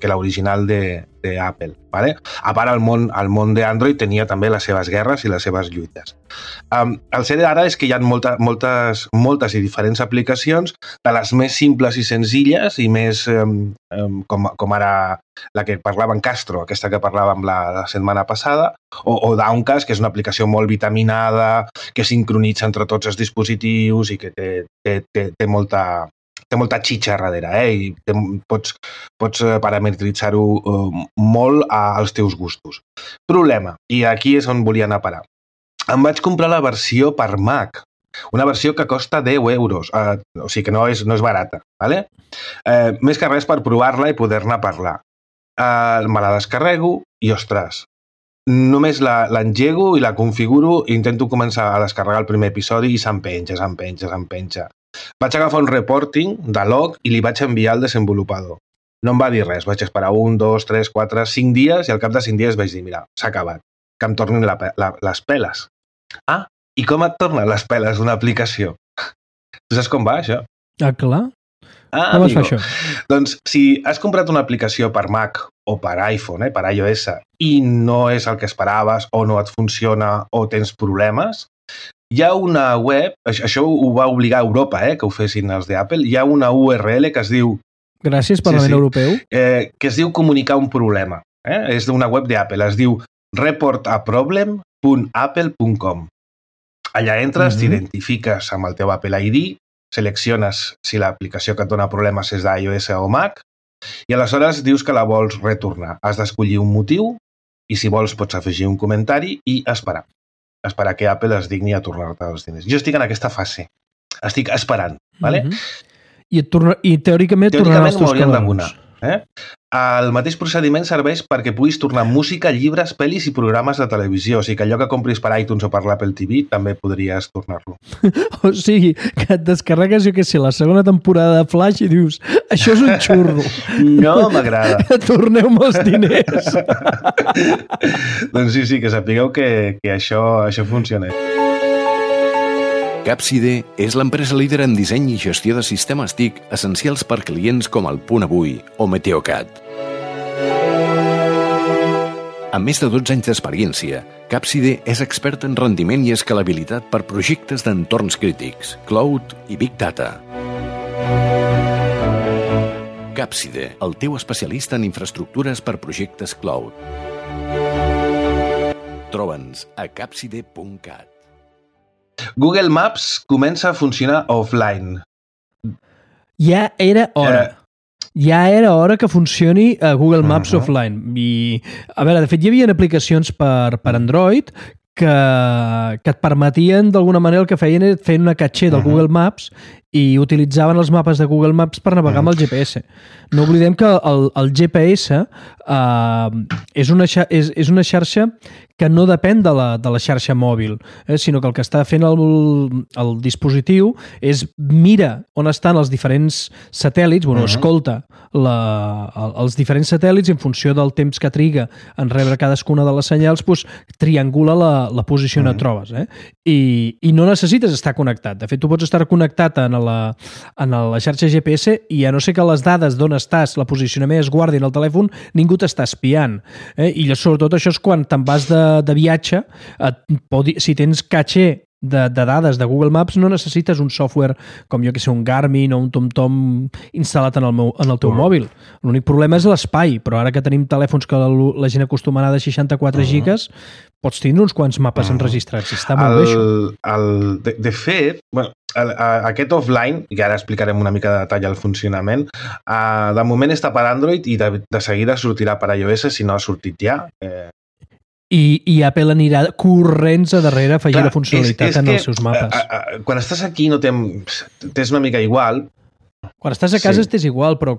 l'original d'Apple. Vale? A part, el món d'Android tenia també les seves guerres i les seves lluites. El cert ara és que hi ha moltes i diferents aplicacions, de les més simples i senzilles i més com ara la que parlava en Castro, aquesta que parlàvem la setmana passada, o Downcast, que és una aplicació molt vitaminada, que sincronitza entre tots els dispositius i que té molta xitxa darrere, i pots parametritzar-ho molt als teus gustos. Problema, i aquí és on volia anar a parar. Em vaig comprar la versió per Mac, una versió que costa 10 euros, o sigui que no és barata, ¿vale? Més que res per provar-la i poder-ne parlar. Me la descarrego i, ostres, només l'engego i la configuro i intento començar a descarregar el primer episodi i s'empenja. Vaig agafar un reporting de log i li vaig enviar al desenvolupador. No em va dir res, vaig esperar 1, 2, 3, 4, 5 dies i al cap de 5 dies vaig dir, mira, s'ha acabat, que em tornin les peles. Ah, i com et tornen les peles d'una aplicació? Tu saps com va, això? Ah, clar. Com es fa això? Doncs si has comprat una aplicació per Mac o per iPhone, per iOS, i no és el que esperaves o no et funciona o tens problemes, hi ha una web, això ho va obligar a Europa, que ho fessin els d'Apple, hi ha una URL que es diu... Gràcies, Parlament Europeu. Que es diu comunicar un problema. És d'una web d'Apple, es diu Report a Problem www.apple.com. Allà entres, t'identifiques amb el teu Apple ID, selecciones si l'aplicació que et dona problemes és d'iOS o Mac i aleshores dius que la vols retornar. Has d'escollir un motiu i si vols pots afegir un comentari i esperar. Esperar que Apple es digni a tornar-te els diners. Jo estic en aquesta fase. Estic esperant, ¿vale? I teòricament tornaran els teus cabals. El mateix procediment serveix perquè puguis tornar música, llibres, pel·lis i programes de televisió. O sigui que allò que compris per iTunes o per l'Apple TV també podries tornar-lo. O sigui, que et descarregues, jo què sé, la segona temporada de Flash i dius, això és un xurro. No m'agrada. Torneu-me els diners. Doncs sí, que sapigueu que això funciona. Capside és l'empresa líder en disseny i gestió de sistemes TIC essencials per clients com el Punt Avui o Meteocat. Amb més de 12 anys d'experiència, Capside és expert en rendiment i escalabilitat per projectes d'entorns crítics, cloud i Big Data. Capside, el teu especialista en infraestructures per projectes cloud. Troba'ns a capside.cat. Google Maps comença a funcionar offline. Ja era hora. Ja era hora que funcioni a Google Maps offline. I, a veure, de fet, hi havia aplicacions per Android que et permetien, d'alguna manera, el que feien era fer una caché del Google Maps i utilitzaven els mapes de Google Maps per navegar amb el GPS. No oblidem que el GPS és una xarxa que no depèn de la xarxa mòbil, sinó que el que està fent el dispositiu és mira on estan els diferents satèl·lits, escolta els diferents satèl·lits i en funció del temps que triga en rebre cadascuna de les senyals, triangula la posició on et trobes. I no necessites estar connectat. De fet, tu pots estar connectat en la xarxa GPS i a no ser que les dades d'on estàs, la posicionament es guardi en el telèfon, ningú t'està espiant. I sobretot això és quan te'n vas de viatge, si tens caché de dades de Google Maps, no necessites un software com jo que sé, un Garmin o un TomTom instal·lat en el teu mòbil. L'únic problema és l'espai, però ara que tenim telèfons que la gent acostuma a anar de 64 gigas, pots tindre uns quants mapes enregistrats. Està molt bé, això. De fet, aquest offline, i ara explicarem una mica de detall el funcionament, de moment està per Android i de seguida sortirà per iOS si no ha sortit ja. I Apple anirà corrents a darrere a afegir la funcionalitat en els seus mapes. Quan estàs aquí no t'és una mica igual. Quan estàs a casa estàs igual, però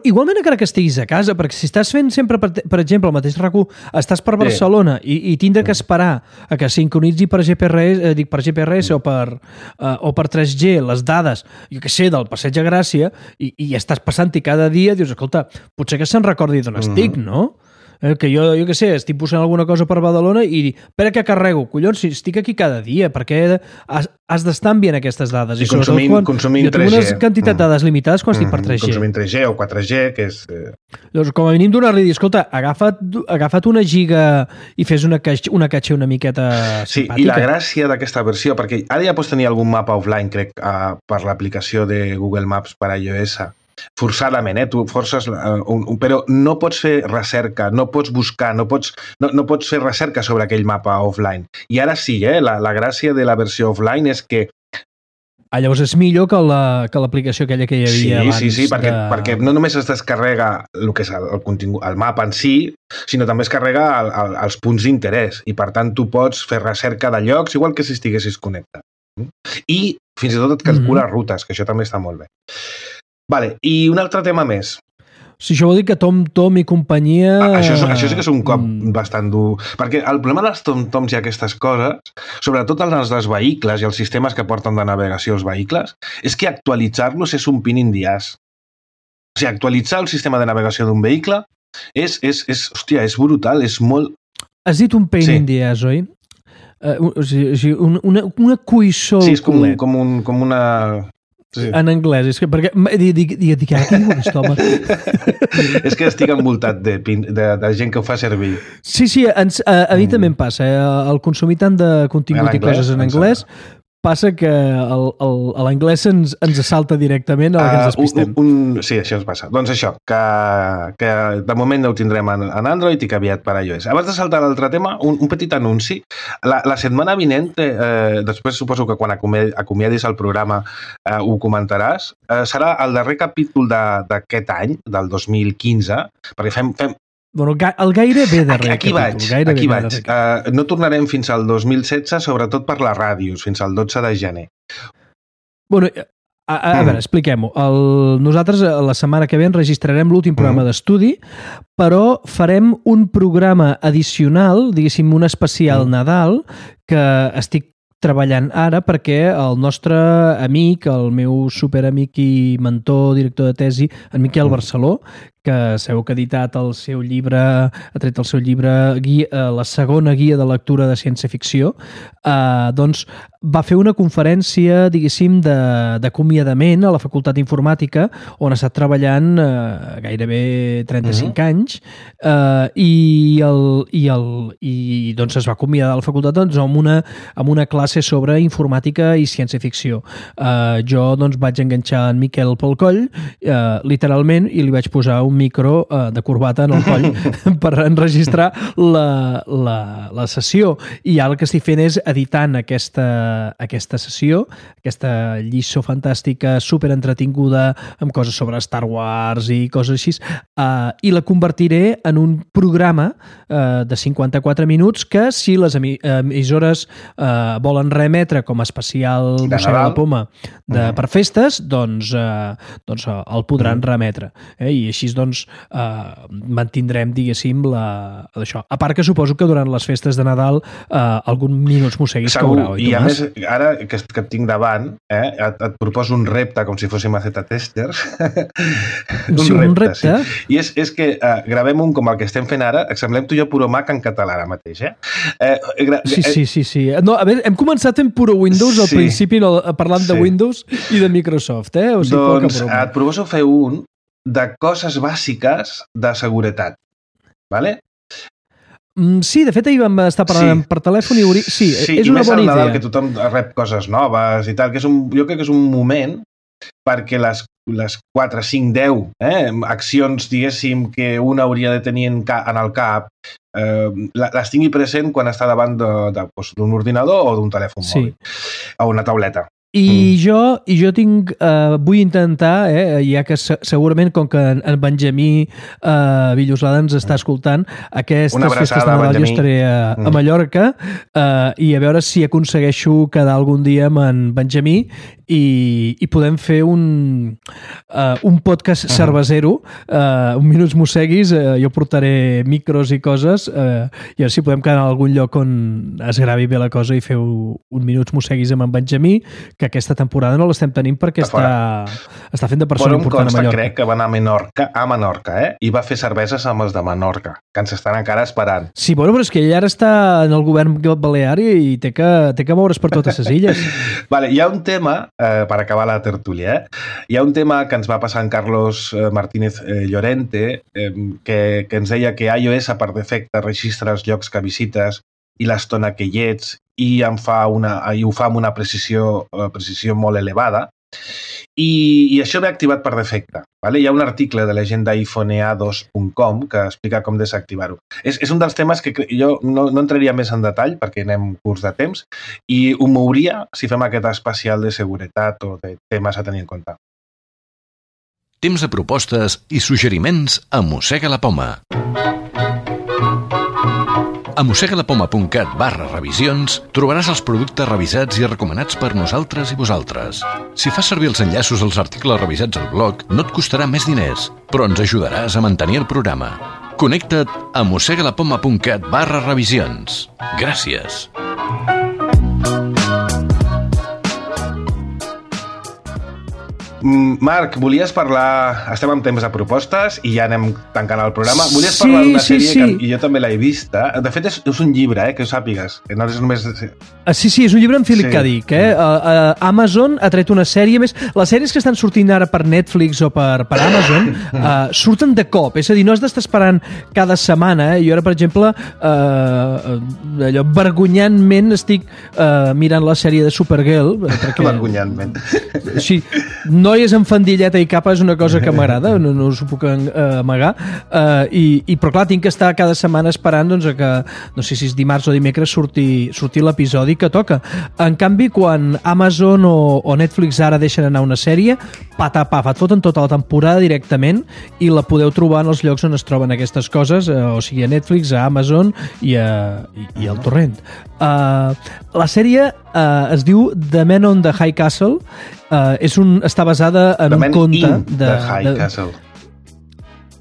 igualment encara que estiguis a casa, perquè si estàs fent sempre, per exemple, el mateix RAC1, estàs per Barcelona i tindre que esperar a que sincronitzi per GPRS o per 3G les dades, jo què sé, del Passeig de Gràcia i estàs passant-hi cada dia, dius, escolta, potser que se'n recordi d'on estic, no? Que jo què sé, estic posant alguna cosa per Badalona i espera que carrego. Collons, si estic aquí cada dia, perquè has d'estar enviant aquestes dades. I consumint 3G. Jo tinc una quantitat de dades limitades quan estic per 3G. Consumint 3G o 4G, que és... Llavors, com a mínim donar-li dir, escolta, agafa't una giga i fes una caché una miqueta simpàtica. Sí, i la gràcia d'aquesta versió, perquè ara ja pots tenir algun mapa offline, crec, per l'aplicació de Google Maps per iOS, forçadament, tu forces, però no pots fer recerca, no pots buscar, no pots fer recerca sobre aquell mapa offline. I ara sí, la gràcia de la versió offline és que llavors és millor que l'aplicació aquella que hi havia abans. Sí, perquè no només es descarrega el que és el contingut, el mapa en si, sinó també es carrega els punts d'interès i per tant tu pots fer recerca de llocs igual que si estiguessis connectat. I fins i tot et calcula rutes, que això també està molt bé. Vale, i un altre tema més. Si això vol dir que TomTom i companyia... Això sí que és un cop bastant dur. Perquè el problema dels TomToms i aquestes coses, sobretot els dels vehicles i els sistemes que porten de navegació als vehicles, és que actualitzar-los és un pain in the ass. O sigui, actualitzar el sistema de navegació d'un vehicle és brutal, és molt... Has dit un pain in the ass, oi? O sigui, una cuissó... Sí, és com una... Sí. En anglès, és que perquè dic ara què diu aquest home? És que estic envoltat de gent que ho fa servir. Sí, a mi també em passa, el consumir tant de contingut i coses en anglès, passa que l'anglès ens assalta directament a la que ens despistem. Sí, això ens passa. Doncs això, que de moment no ho tindrem en Android i que aviat per iOS. Abans de saltar a l'altre tema, un petit anunci. La setmana vinent, després suposo que quan acomiadis el programa ho comentaràs, serà el darrer capítol d'aquest any, del 2015, perquè fem Bueno, el gairebé darrer aquí capítol. Aquí vaig. No tornarem fins al 2016, sobretot per les ràdios, fins al 12 de gener. Bueno, a veure, expliquem-ho. Nosaltres la setmana que ve enregistrarem l'últim programa d'estudi, però farem un programa addicional, diguéssim, un especial Nadal, que estic treballant ara perquè el nostre amic, el meu superamic i mentor, director de tesi, en Miquel Barceló, que sabeu que ha editat el seu llibre, ha tret el seu llibre, la segona guia de lectura de ciència-ficció, doncs va fer una conferència, diguéssim, d'acomiadament a la Facultat d'Informàtica, on ha estat treballant gairebé 35 anys, i doncs es va acomiadar a la facultat amb una classe sobre informàtica i ciència-ficció. Jo doncs vaig enganxar en Miquel pel coll, literalment, i li vaig posar un micro de corbata en el coll per enregistrar la sessió. I ara el que estic fent és editant aquesta sessió, aquesta lliçó fantàstica, superentretinguda, amb coses sobre Star Wars i coses així, i la convertiré en un programa de 54 minuts que, si les emissores volen reemetre com a especial Mossega la Poma per festes, doncs el podran reemetre. I així doncs mantindrem, diguéssim, això. A part que suposo que durant les festes de Nadal algun Minuts Mosseguis caurà, oi, Tomàs? I a més, ara que et tinc davant, et proposo un repte, com si fóssim a Z-testers. Un repte? Sí. I és que gravem un com el que estem fent ara, semblem tu i jo puro Mac en català ara mateix, Sí. No, a veure, hem començat en puro Windows al principi, parlant de Windows i de Microsoft, O sigui, doncs et proposo fer un de coses bàsiques de seguretat, vale? Sí, de fet ahir vam estar parlant per telèfon i sí, és una bona idea. Sí, i més al Nadal, que tothom rep coses noves i tal, que jo crec que és un moment perquè les 4, 5, 10 accions, diguéssim, que un hauria de tenir en el cap, les tingui present quan està davant d'un ordinador o d'un telèfon mòbil o una tauleta. I jo vull intentar, ja que segurament, com que en Benjamí Villoslada ens està escoltant, aquestes festes de Nadal jo estaré a Mallorca, i a veure si aconsegueixo quedar algun dia amb en Benjamí i podem fer un podcast cervesero, un Minuts Mosseguis, jo portaré micros i coses, i a veure si podem quedar en algun lloc on es gravi bé la cosa i feu un Minuts Mosseguis amb en Benjamí, que aquesta temporada no l'estem tenint perquè està fent de persona important a Mallorca. Crec que va anar a Menorca, i va fer cerveses amb els de Menorca, que ens estan encara esperant. Sí, bueno, però és que ell ara està en el govern balear i té que moure's per totes les illes. Vale, hi ha un tema, per acabar la tertúlia, hi ha un tema que ens va passar en Carlos Martínez Llorente, que ens deia que iOS per defecte registra els llocs que visites i l'estona que hi ets, i ho fa amb una precisió molt elevada, i això ve activat per defecte. Hi ha un article de la gent d'iPhoneA2.com que explica com desactivar-ho. És un dels temes que jo no entraria més en detall perquè anem curts de temps, i ho mouria si fem aquest especial de seguretat o de temes a tenir en compte. Temps de propostes i suggeriments a Mossega la Poma. A mossegalapoma.cat/revisions trobaràs els productes revisats i recomanats per nosaltres i vosaltres. Si fas servir els enllaços als articles revisats al blog, no et costarà més diners, però ens ajudaràs a mantenir el programa. Connecta't a mossegalapoma.cat/revisions. Gràcies. Marc, volies parlar... Estem en temps de propostes i ja anem tancant el programa. Volies parlar d'una sèrie que jo també l'he vista. De fet, és un llibre, que ho sàpigues. Que no és només... Sí, és un llibre en Philip K. Dick. Amazon ha tret una sèrie més... Les sèries que estan sortint ara per Netflix o per Amazon surten de cop. És a dir, no has d'estar esperant cada setmana. Jo ara, per exemple, allò vergonyantment estic mirant la sèrie de Supergirl. Perquè... Vergonyantment. Sí, noies amb fandilleta i capa és una cosa que m'agrada, no us ho puc amagar, però clar, tinc que estar cada setmana esperant doncs, que, no sé si és dimarts o dimecres, surti l'episodi que toca. En canvi, quan Amazon o Netflix ara deixen anar una sèrie, patapaf, et foten tota la temporada directament i la podeu trobar en els llocs on es troben aquestes coses, o sigui, a Netflix, a Amazon i al torrent. La sèrie es diu The Man on the High Castle. Està basada en un conte de High Castle.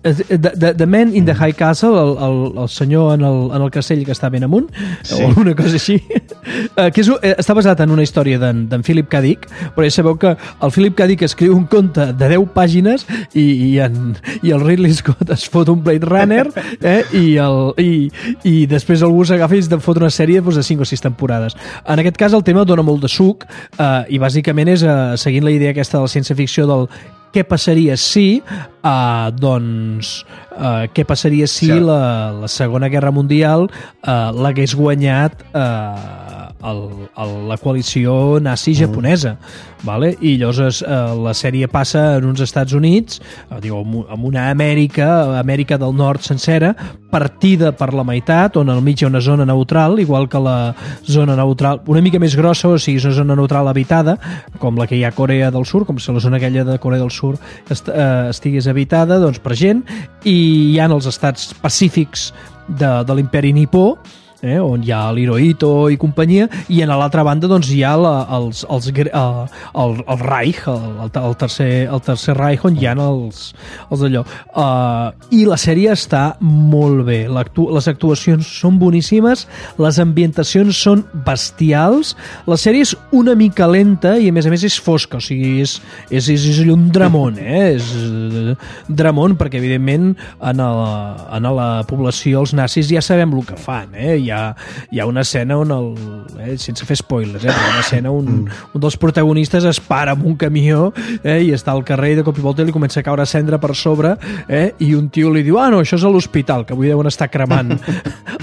The Man in the High Castle, el senyor en el castell que està ben amunt, o alguna cosa així, que està basat en una història d'en Philip K. Dick, però ja sabeu que el Philip K. Dick escriu un conte de 10 pàgines i el Ridley Scott es fot un Blade Runner i després algú s'agafa i es fot una sèrie de 5 o 6 temporades. En aquest cas el tema dona molt de suc i bàsicament és seguint la idea aquesta de la ciència-ficció del què passaria si què passaria si la Segona Guerra Mundial l'hagués guanyat la coalició nazi-japonesa, vale? I llavors la sèrie passa en uns Estats Units, en una Amèrica del Nord sencera, partida per la meitat, on al mig hi ha una zona neutral, igual que la zona neutral, una mica més grossa, o sigui, és una zona neutral habitada, com la que hi ha a Corea del Sur, com si la zona aquella de Corea del Sur estigués habitada doncs, per gent, i hi ha els estats pacífics de l'imperi nipó, on hi ha l'Hirohito i companyia, i a l'altra banda doncs, hi ha el Reich, el tercer Reich, on hi ha els d'allò. I la sèrie està molt bé. Les actuacions són boníssimes, les ambientacions són bestials, la sèrie és una mica lenta i a més és fosca, o sigui, és allò un dramón, és dramón, perquè evidentment en la població els nazis ja sabem el que fan, hi ha una escena on sense fer spoilers, hi ha una escena on un dels protagonistes es para amb un camió i està al carrer i de cop i volta li comença a caure cendra per sobre i un tio li diu, no, això és a l'hospital, que avui deuen estar cremant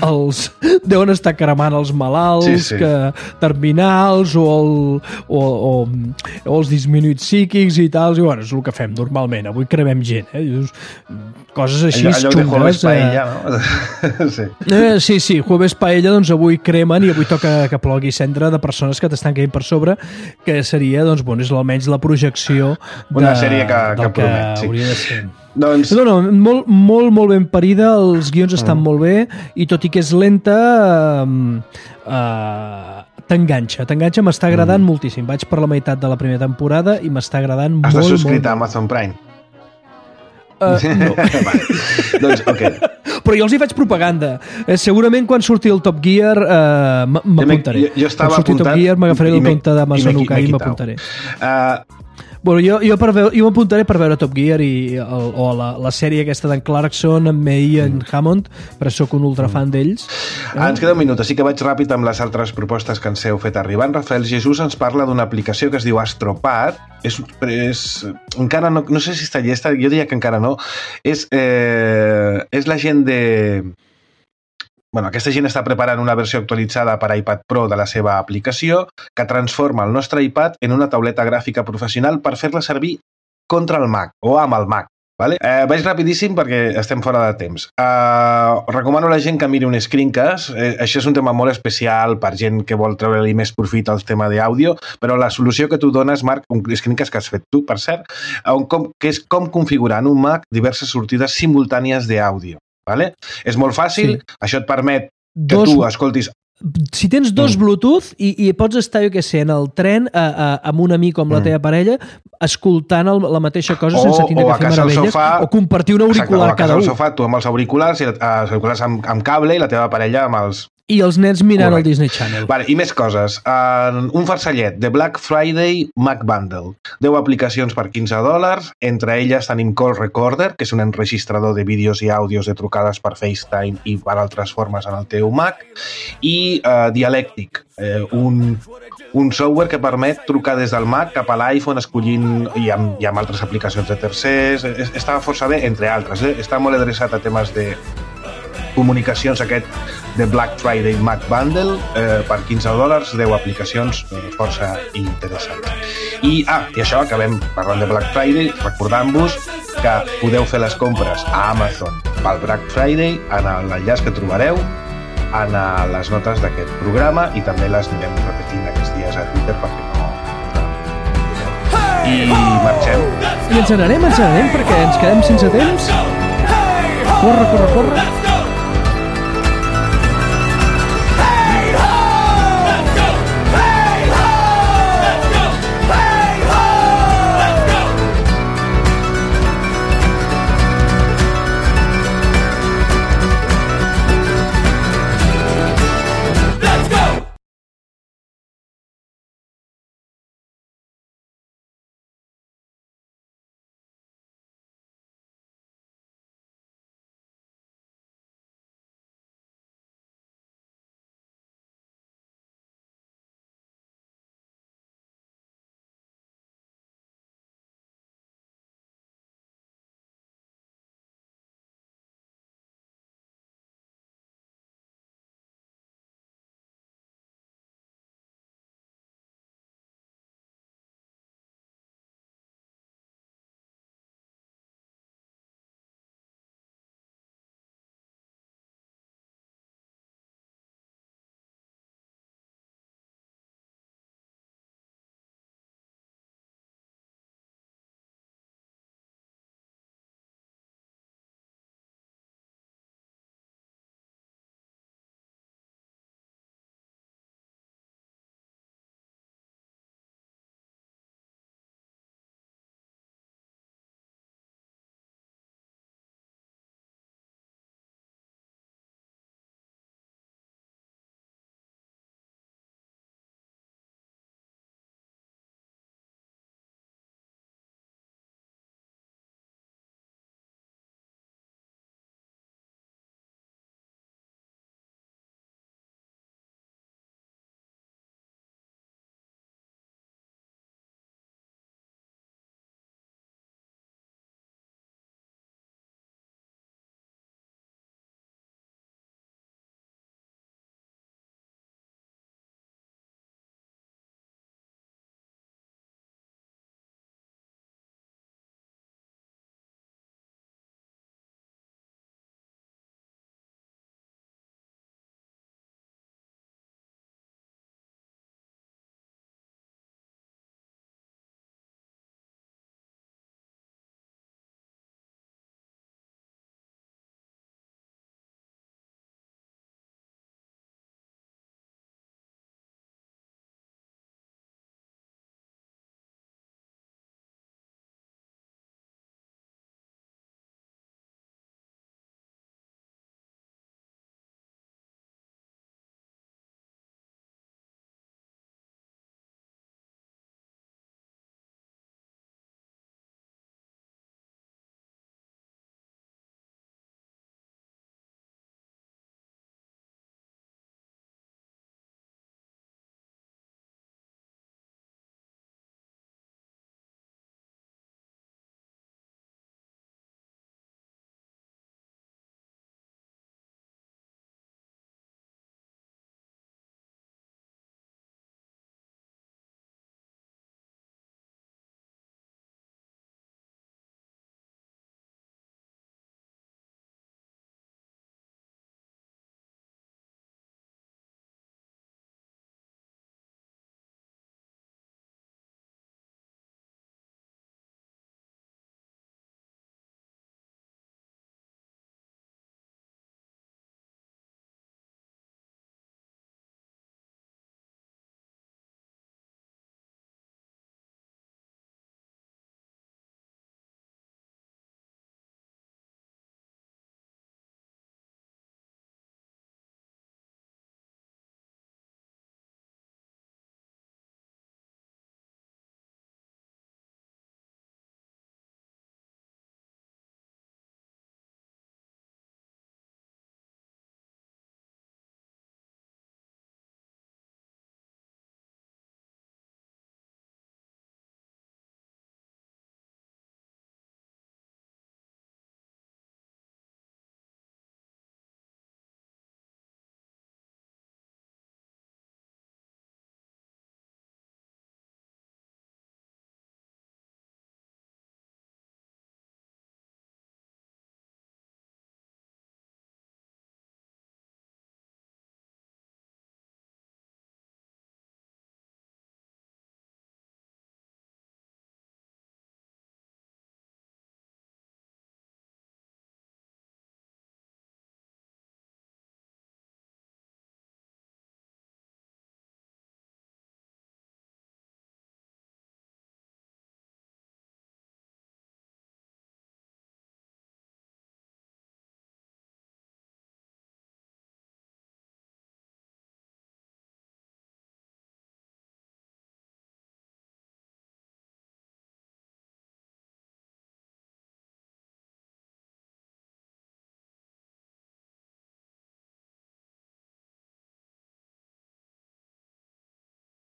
els malalts terminals o els disminuïts psíquics i tal, i bueno, és el que fem normalment, avui cremem gent, coses així allò xungues. de Jueves Paella, no? Sí, Jueves Paella, doncs avui cremen i avui toca que plogui cendra de persones que t'estan caient per sobre, que seria, doncs, bueno, és almenys la projecció una sèrie que promet, hauria de ser. Doncs... No, molt ben parida, els guions estan molt bé, i tot i que és lenta, t'enganxa, m'està agradant moltíssim. Vaig per la meitat de la primera temporada i m'està agradant molt. Has de subscriure a Amazon Prime? No. Vale. Doncs, ok. Però jo els hi faig propaganda. Segurament quan surti el Top Gear m'apuntaré. Jo estava apuntant... Quan surti Top Gear m'agafaré el compte d'Amazon UK i m'apuntaré. Bueno, jo m'apuntaré per veure Top Gear o la sèrie aquesta d'en Clarkson amb May i en Hammond, però sóc un ultrafan d'ells. Ens queda un minut, així que vaig ràpid amb les altres propostes que ens heu fet arribar. En Rafael Jesús ens parla d'una aplicació que es diu Astropad. Encara no sé si està llesta, jo diria que encara no. És la gent de... Bueno, aquesta gent està preparant una versió actualitzada per iPad Pro de la seva aplicació que transforma el nostre iPad en una tauleta gràfica professional per fer-la servir contra el Mac o amb el Mac. Vale? Vaig rapidíssim perquè estem fora de temps. Recomano a la gent que miri un screencast. Això és un tema molt especial per gent que vol treure-li més profit al tema d'àudio, però la solució que tu dones, Marc, un screencast que has fet tu, per cert, que és com configurar en un Mac diverses sortides simultànies d'àudio. Vale? És molt fàcil, això et permet que tu escoltis... Si tens dos Bluetooth i pots estar, jo què sé, en el tren amb un amic o amb la teva parella escoltant la mateixa cosa sense tindre que fer meravelles, o compartir un auricular cada un. O a casa al sofà, tu amb els auriculars amb cable i la teva parella amb els I els nens mirant el Disney Channel. Vale, i més coses. Un farcellet de Black Friday Mac Bundle. 10 aplicacions per $15. Entre elles tenim Call Recorder, que és un enregistrador de vídeos i àudios de trucades per FaceTime i per altres formes en el teu Mac. I Dialectic, un software que permet trucar des del Mac cap a l'iPhone escollint i amb altres aplicacions de tercers. Està força bé, entre altres. Està molt adreçat a temes de comunicacions, aquest de Black Friday Mac Bundle, per $15, 10 aplicacions força interessants. I això, acabem parlant de Black Friday, recordant-vos que podeu fer les compres a Amazon pel Black Friday en l'enllaç que trobareu en les notes d'aquest programa i també les anirem repetint aquests dies a Twitter perquè no... I marxem. I ens n'anem perquè ens quedem sense temps. Corre, corre, corre.